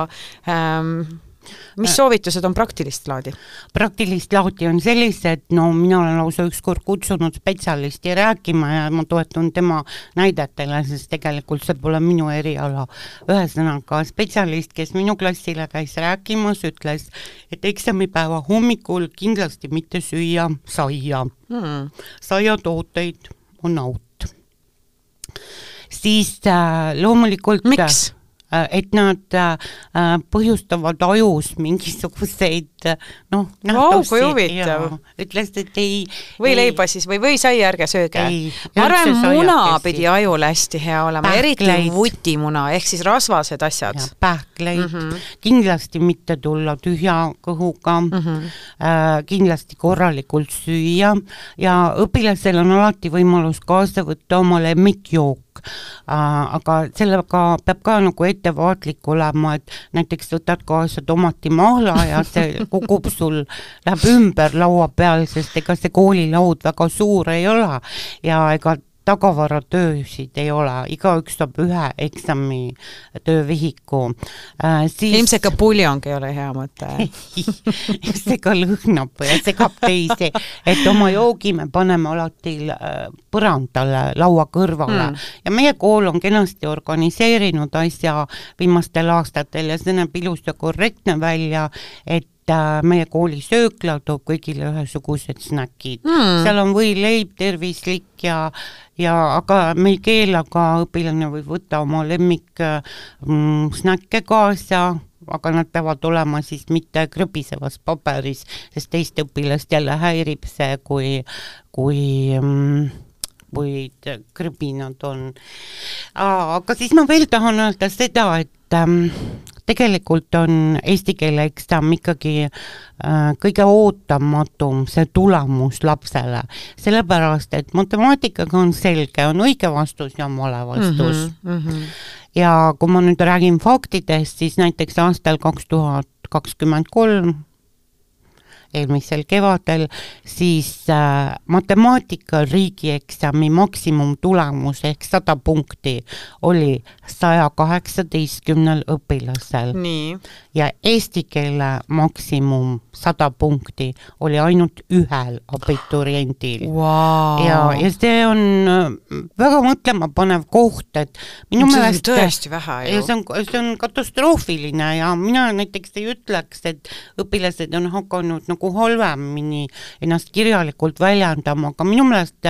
A: mis soovitused on praktilist laadi?
B: Praktilist laadi on sellised, no mina olen lausa ükskord kutsunud spetsialisti rääkima ja ma toetun tema näidetele, sest tegelikult see pole minu eriala. Ühesõnaga spetsialist, kes minu klassile käis rääkimas, ütles, et eksamipäeva hommikul kindlasti mitte süüa saia. Saiatooteid on out. Siis loomulikult...
A: Miks?
B: Et nad põhjustavad ajus mingisuguseid nähtusi ja ütles, et ei...
A: Või leiba siis, või sai ärge sööge. Ma arvan, muna pidi ajul hästi hea olema, eriti vutimuna, ehk siis rasvased asjad.
B: Pähkleid, kindlasti mitte tulla tühja kõhuga, kindlasti korralikult süüa ja õpilasel on alati võimalus kaasa võtta oma lemmikjook. Aga sellega peab ka nagu ettevaatlik olema, et näiteks võtad kaasa tomatimahla ja see kukub sul, läheb ümber laua peal, sest ega see koolilaud väga suur ei ole ja ega tagavaratöösid ei ole, igaüks saab ühe eksami töövihiku.
A: Ilmselt ka puljongi ei ole hea mõte.
B: See ka lõhnab ja segab teisi, et oma joogi me paneme alati põrandale, laua kõrvale ja meie kool on kenasti organiseerinud asja viimastel aastatel ja see näeb ilus ja korrektne välja, et meie kooli söökla toob kõigile ühesugused snäkid. Seal on võileib, tervislik ja aga me ei keela ka õpilane võib võtta oma lemmik snäkke kaasa, aga nad peavad olema siis mitte krõbisevas paberis, sest teist õpilast jälle häirib see, kui krõbinad on. Aga siis ma veel tahan öelda seda, et tegelikult on eesti keele eksam ikkagi kõige ootamatum see tulemus lapsele, sellepärast, et matemaatikaga on selge, on õige vastus ja vale vastus. Ja kui ma nüüd räägin faktidest, siis näiteks aastal 2023 eelmisel kevadel, siis matemaatika riigieksami maksimumtulemus ehk 100 punkti oli 118 õpilasel.
A: Nii.
B: Ja eesti keele maksimum 100 punkti oli ainult ühel abituriendil.
A: Wow.
B: Ja see on väga mõtlema panev koht, et minu meelest
A: tõesti vähe ju.
B: See on katastroofiline ja mina näiteks ei ütleks, et õpilased on hakanud nagu halvemini ennast kirjalikult väljendama, aga minu meelest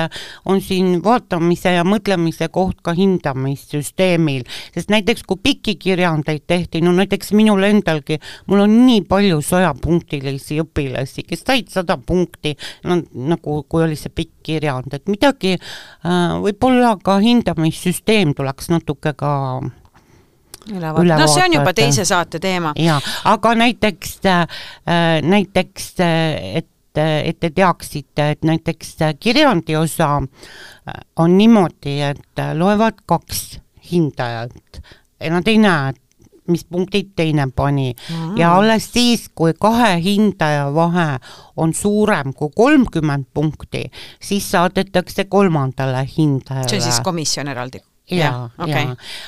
B: on siin vaatamise ja mõtlemise koht ka hindamissüsteemil, sest näiteks kui pikki kirjandeid tehti, no näiteks minul endalgi, mul on nii palju 100-punktilisi õpilasi, kes said 100 punkti, nagu kui oli see pikk kirjand, et midagi võib-olla ka hindamissüsteem tuleks natuke ka
A: No see on juba teise saate teema.
B: Ja, aga näiteks et te teaksite, et näiteks kirjandi osa on niimoodi, et loevad 2 hindajat ja nad ei näe, mis punktid teine pani. Ja alles siis, kui 2 hindaja vahe on suurem kui 30 punkti, siis saadetakse 3. hindajale.
A: See on siis komisjon eraldi?
B: Ja.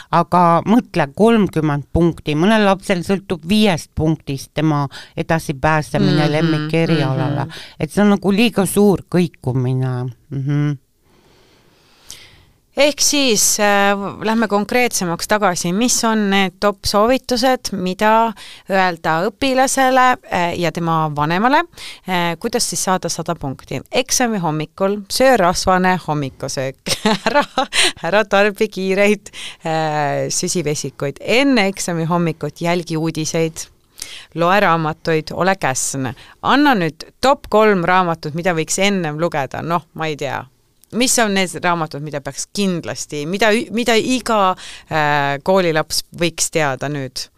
B: Aga mõtle 30 punkti, mõnel lapsel sõltub 5 punktist tema edasi pääsemine lemmikerialale, et see on nagu liiga suur kõikumine.
A: Ehk siis lähme konkreetsemaks tagasi, mis on need top soovitused, mida öelda õpilasele ja tema vanemale, kuidas siis saada 100 punkti. Eksami hommikul, söö rasvane hommikusöök, ära tarbi kiireid süsivesikuid, enne eksami hommikut jälgi uudiseid, loe raamatuid, ole käsne. Anna nüüd top 3 raamatut, mida võiks ennem lugeda, ma ei tea. Mis on need raamatud, mida peaks kindlasti, mida iga koolilaps võiks teada nüüd?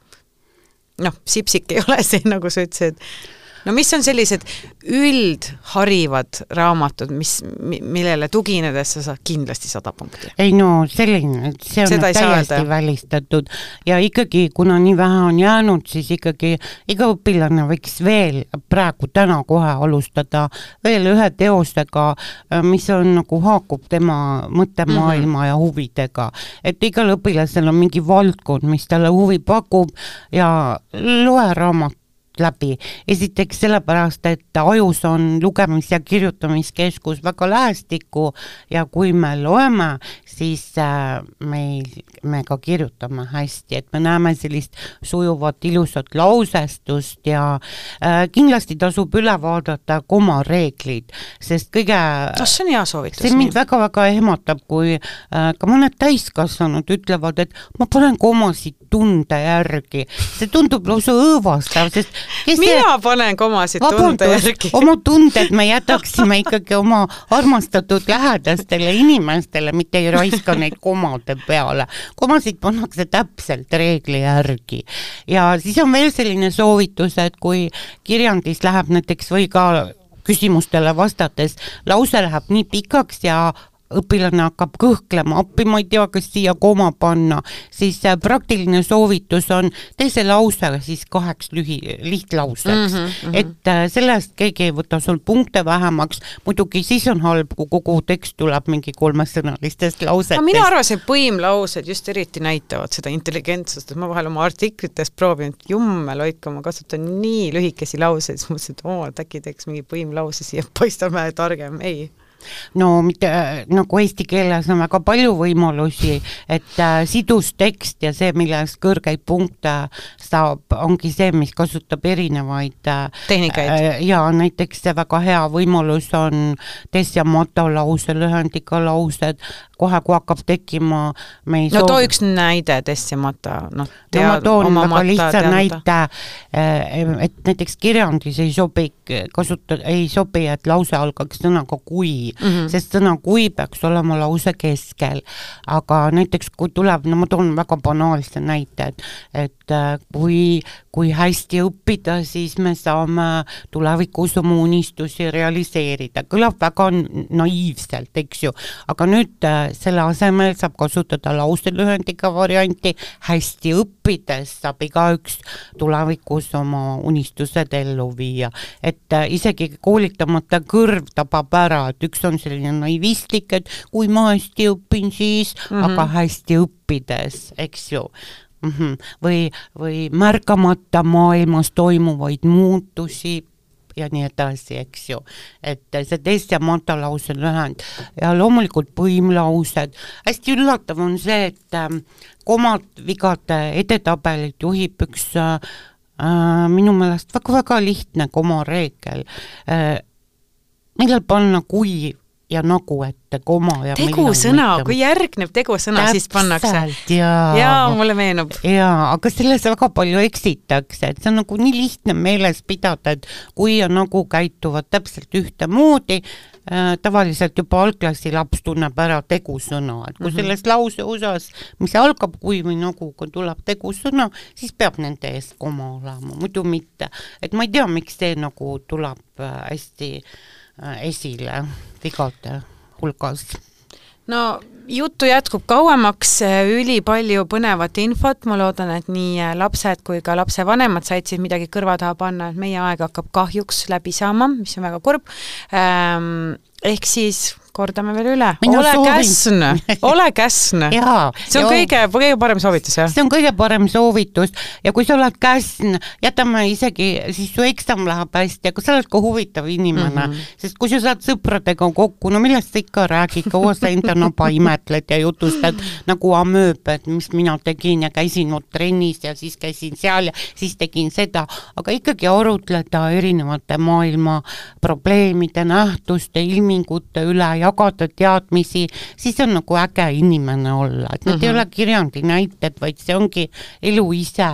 A: Sipsik ei ole see, nagu sa ütlesid. Mis on sellised üldharivad raamatud, millele tuginedes sa saad kindlasti 100 punkti?
B: Ei selline, see on täiesti välistatud ja ikkagi, kuna nii vähe on jäänud, siis ikkagi iga õpilane võiks veel praegu täna kohe alustada veel ühe teostega, mis on nagu haakub tema mõttemaailma ja huvidega. Et igal õpilasel on mingi valdkond, mis talle huvi pakub ja loe raamat läbi. Esiteks sellepärast, et ajus on lugemis- ja kirjutamiskeskus väga lähestikku ja kui me loeme, siis me ka kirjutame hästi, et me näeme sellist sujuvat ilusat lausestust ja kindlasti tasub üle vaadata komareeglid, sest kõige
A: see on hea soovitus.
B: See mind väga-väga ehmatab, kui ka mõned täiskasvanud ütlevad, et ma panen komasid tunde järgi. See tundub lausa õõvastav, sest
A: mina panen komasid tunde järgi.
B: Oma tunded me jätaksime ikkagi oma armastatud lähedastele inimestele, mitte ei raiska neid komade peale. Komasid pannakse täpselt reegli järgi. Ja siis on veel selline soovitus, et kui kirjandis läheb näiteks või ka küsimustele vastates, lause läheb nii pikaks ja õpilane hakkab kõhklema, appi ma ei tea, kas siia koma panna, siis praktiline soovitus on tee see lause siis 2 lihtlauseks, et sellest keegi ei võta sul punkte vähemaks, muidugi siis on halb, kui kogu tekst tuleb mingi 3-sõnalistest lausetest.
A: Mina arvasin, et põimlaused just eriti näitavad seda intelligentsust, et ma vahel oma artiklites proovin, et jummel hoidku, ma kasutan nii lühikesi lauseid, siis mõtlesin, et äkki teeks mingi põimlause siia, paistab vähe targem, ei.
B: No mitte, nagu eesti keeles on väga palju võimalusi, et sidus tekst ja see, milles kõrgeid punkte saab, ongi see, mis kasutab erinevaid
A: tehnikaid.
B: Ja näiteks see väga hea võimalus on des ja mata lause, lühendiga laused, kohe kui hakkab tekkima
A: too üks näide des ja mata.
B: Ma toon väga lihtsa näite, et näiteks kirjandis ei sobi, et lause algaks sõnaga kui, sest sõna kui peaks olema lause keskel, aga näiteks kui tuleb, ma toon väga banaalse näite, et kui hästi õppida, siis me saame tulevikus oma unistusi realiseerida. Kõlab väga naiivselt, eks ju, aga nüüd selle asemel saab kasutada lauselühendiga varianti, hästi õppides saab igaüks tulevikus oma unistused ellu viia, et isegi koolitamata kõrv tabab ära, et üks on selline naivistlik, et kui ma hästi õpin, siis aga hästi õppides, eks ju. Või märkamata maailmas toimuvaid muutusi ja nii edasi, eks ju. Et see des ja mata lause lühend ja loomulikult põimlaused. Hästi üllatav on see, et komad vigade edetabelit juhib üks minu meelest väga-väga lihtne komareegel. Millal panna kui ja nagu ette koma ja
A: tegusõna, kui järgneb tegusõna, siis pannakse. Ja mulle meenub.
B: Ja, aga selles väga palju eksitakse, et see on nagu nii lihtne meeles pidada, et kui ja nagu käituvad täpselt ühte moodi, tavaliselt juba algklassi laps tunneb ära tegusõna, et kui selles lause osas, mis algab kui või nagu, kui tuleb tegusõna, siis peab nende ees koma olema, muidu mitte. Et ma ei tea, miks see nagu tuleb hästi esile vigade hulgas.
A: No juttu jätkub kauemaks, üli palju põnevat infot, ma loodan, et nii lapsed kui ka lapse vanemad said siis midagi kõrva taha panna, et meie aeg hakkab kahjuks läbi saama, mis on väga kurb. Ehk siis kordame veel üle. Ole käsn. See on kõige parem soovitus, jah?
B: See on kõige parem soovitus ja kui sa oled käsn, jätame isegi, siis su eksam läheb hästi, aga sa oled ka huvitav inimene, sest kui sa saad sõpradega kokku, no millest sa ikka räägid, kaua sa enda naba imetled ja jutustad nagu amööb, et mis mina tegin ja käisin trennis ja siis käisin seal ja siis tegin seda, aga ikkagi arutleda erinevate maailma probleemide, nähtuste, ilmingute üle, jagada teadmisi, siis on nagu äge inimene olla, et need ei ole kirjandi näited, vaid see ongi elu ise,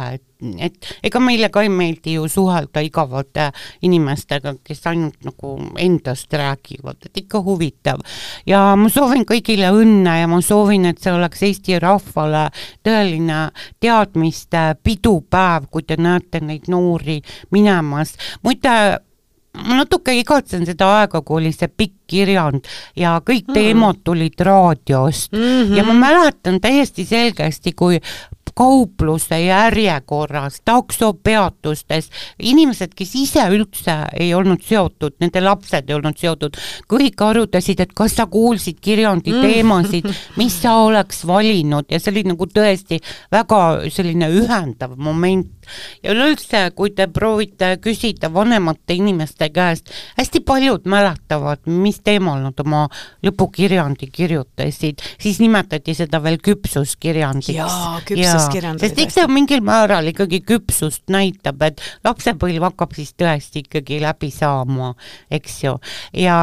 B: et ega meile ka ei meeldi ju suhelda igavate inimestega, kes ainult nagu endast räägivad, et ikka huvitav. Ja ma soovin kõigile õnne ja ma soovin, et see oleks Eesti rahvale tõeline teadmiste pidupäev, kui te näete neid noori minemas. Muide, ma natuke igatsen seda aega, kui oli see pikk kirjand ja kõik teemad tulid raadiost ja ma mäletan täiesti selgesti, kui kaupluse järjekorras, taksopeatustes, inimesed, kes ise üldse ei olnud seotud, nende lapsed ei olnud seotud, kõik arutasid, et kas sa kuulsid kirjandi teemasid, mis sa oleks valinud ja see oli nagu tõesti väga selline ühendav moment ja üleüldse, kui te proovite küsida vanemate inimeste käest, hästi paljud mäletavad, mis teemal nad oma lõpukirjandi kirjutasid, siis nimetati seda veel küpsuskirjandiks.
A: Jaa, küpsuskirjand.
B: Sest eks see mingil määral ikkagi küpsust näitab, et lapsepõlv hakkab siis tõesti ikkagi läbi saama, eks ju. Ja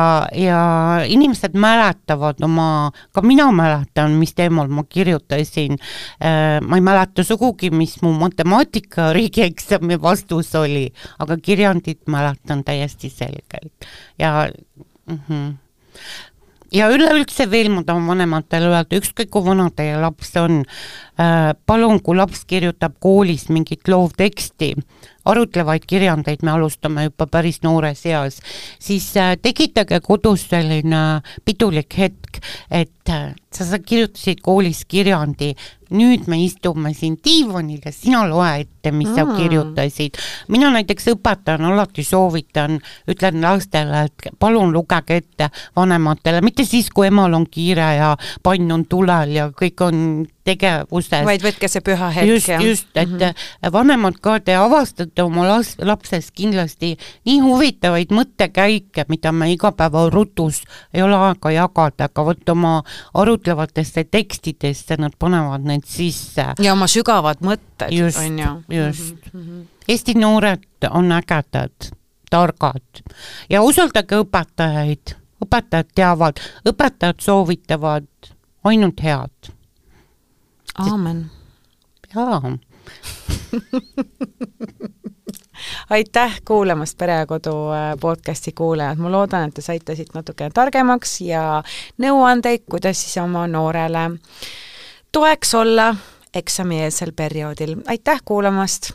B: inimesed mäletavad ka mina mäletan, mis teemal ma kirjutasin. Ma ei mäleta sugugi, mis mu matemaatika riigieksami vastus oli, aga kirjandit mäletan täiesti selgelt. Ja üleüldse veel ma tahan vanematele öelda, ükskõik kui vana teie laps on, palun, kui laps kirjutab koolis mingit loovteksti, arutlevaid kirjandeid me alustame juba päris noores eas, siis tekitage kodus selline pidulik hetk, et sa kirjutasid koolis kirjandi, nüüd me istume siin diivanil ja sina loe ette, mis sa kirjutasid. Mina näiteks õpetajana alati soovitan, ütlen lastele, et palun lugege ette vanematele, mitte siis, kui emal on kiire ja pann on tulel ja kõik on tegevuses.
A: Vaid võtke see püha hetk.
B: Just, et vanemad ka te avastate oma lapses kindlasti nii huvitavaid mõttekäike, mida me igapäeva rutus ei ole aega jagada, aga võtta oma arutlevatesse tekstidesse, nad panevad need sisse.
A: Ja oma sügavad mõtted.
B: Just. Eesti noored on ägedad, targad ja usaldage õpetajaid. Õpetajad teavad, õpetajad soovitavad ainult head.
A: Aamen.
B: Jaa.
A: Aitäh kuulamast Pere ja Kodu podcasti kuulajad. Ma loodan, et te saite siit natuke targemaks ja nõuandeid, kuidas siis oma noorele toeks olla eksamieelsel perioodil. Aitäh kuulamast!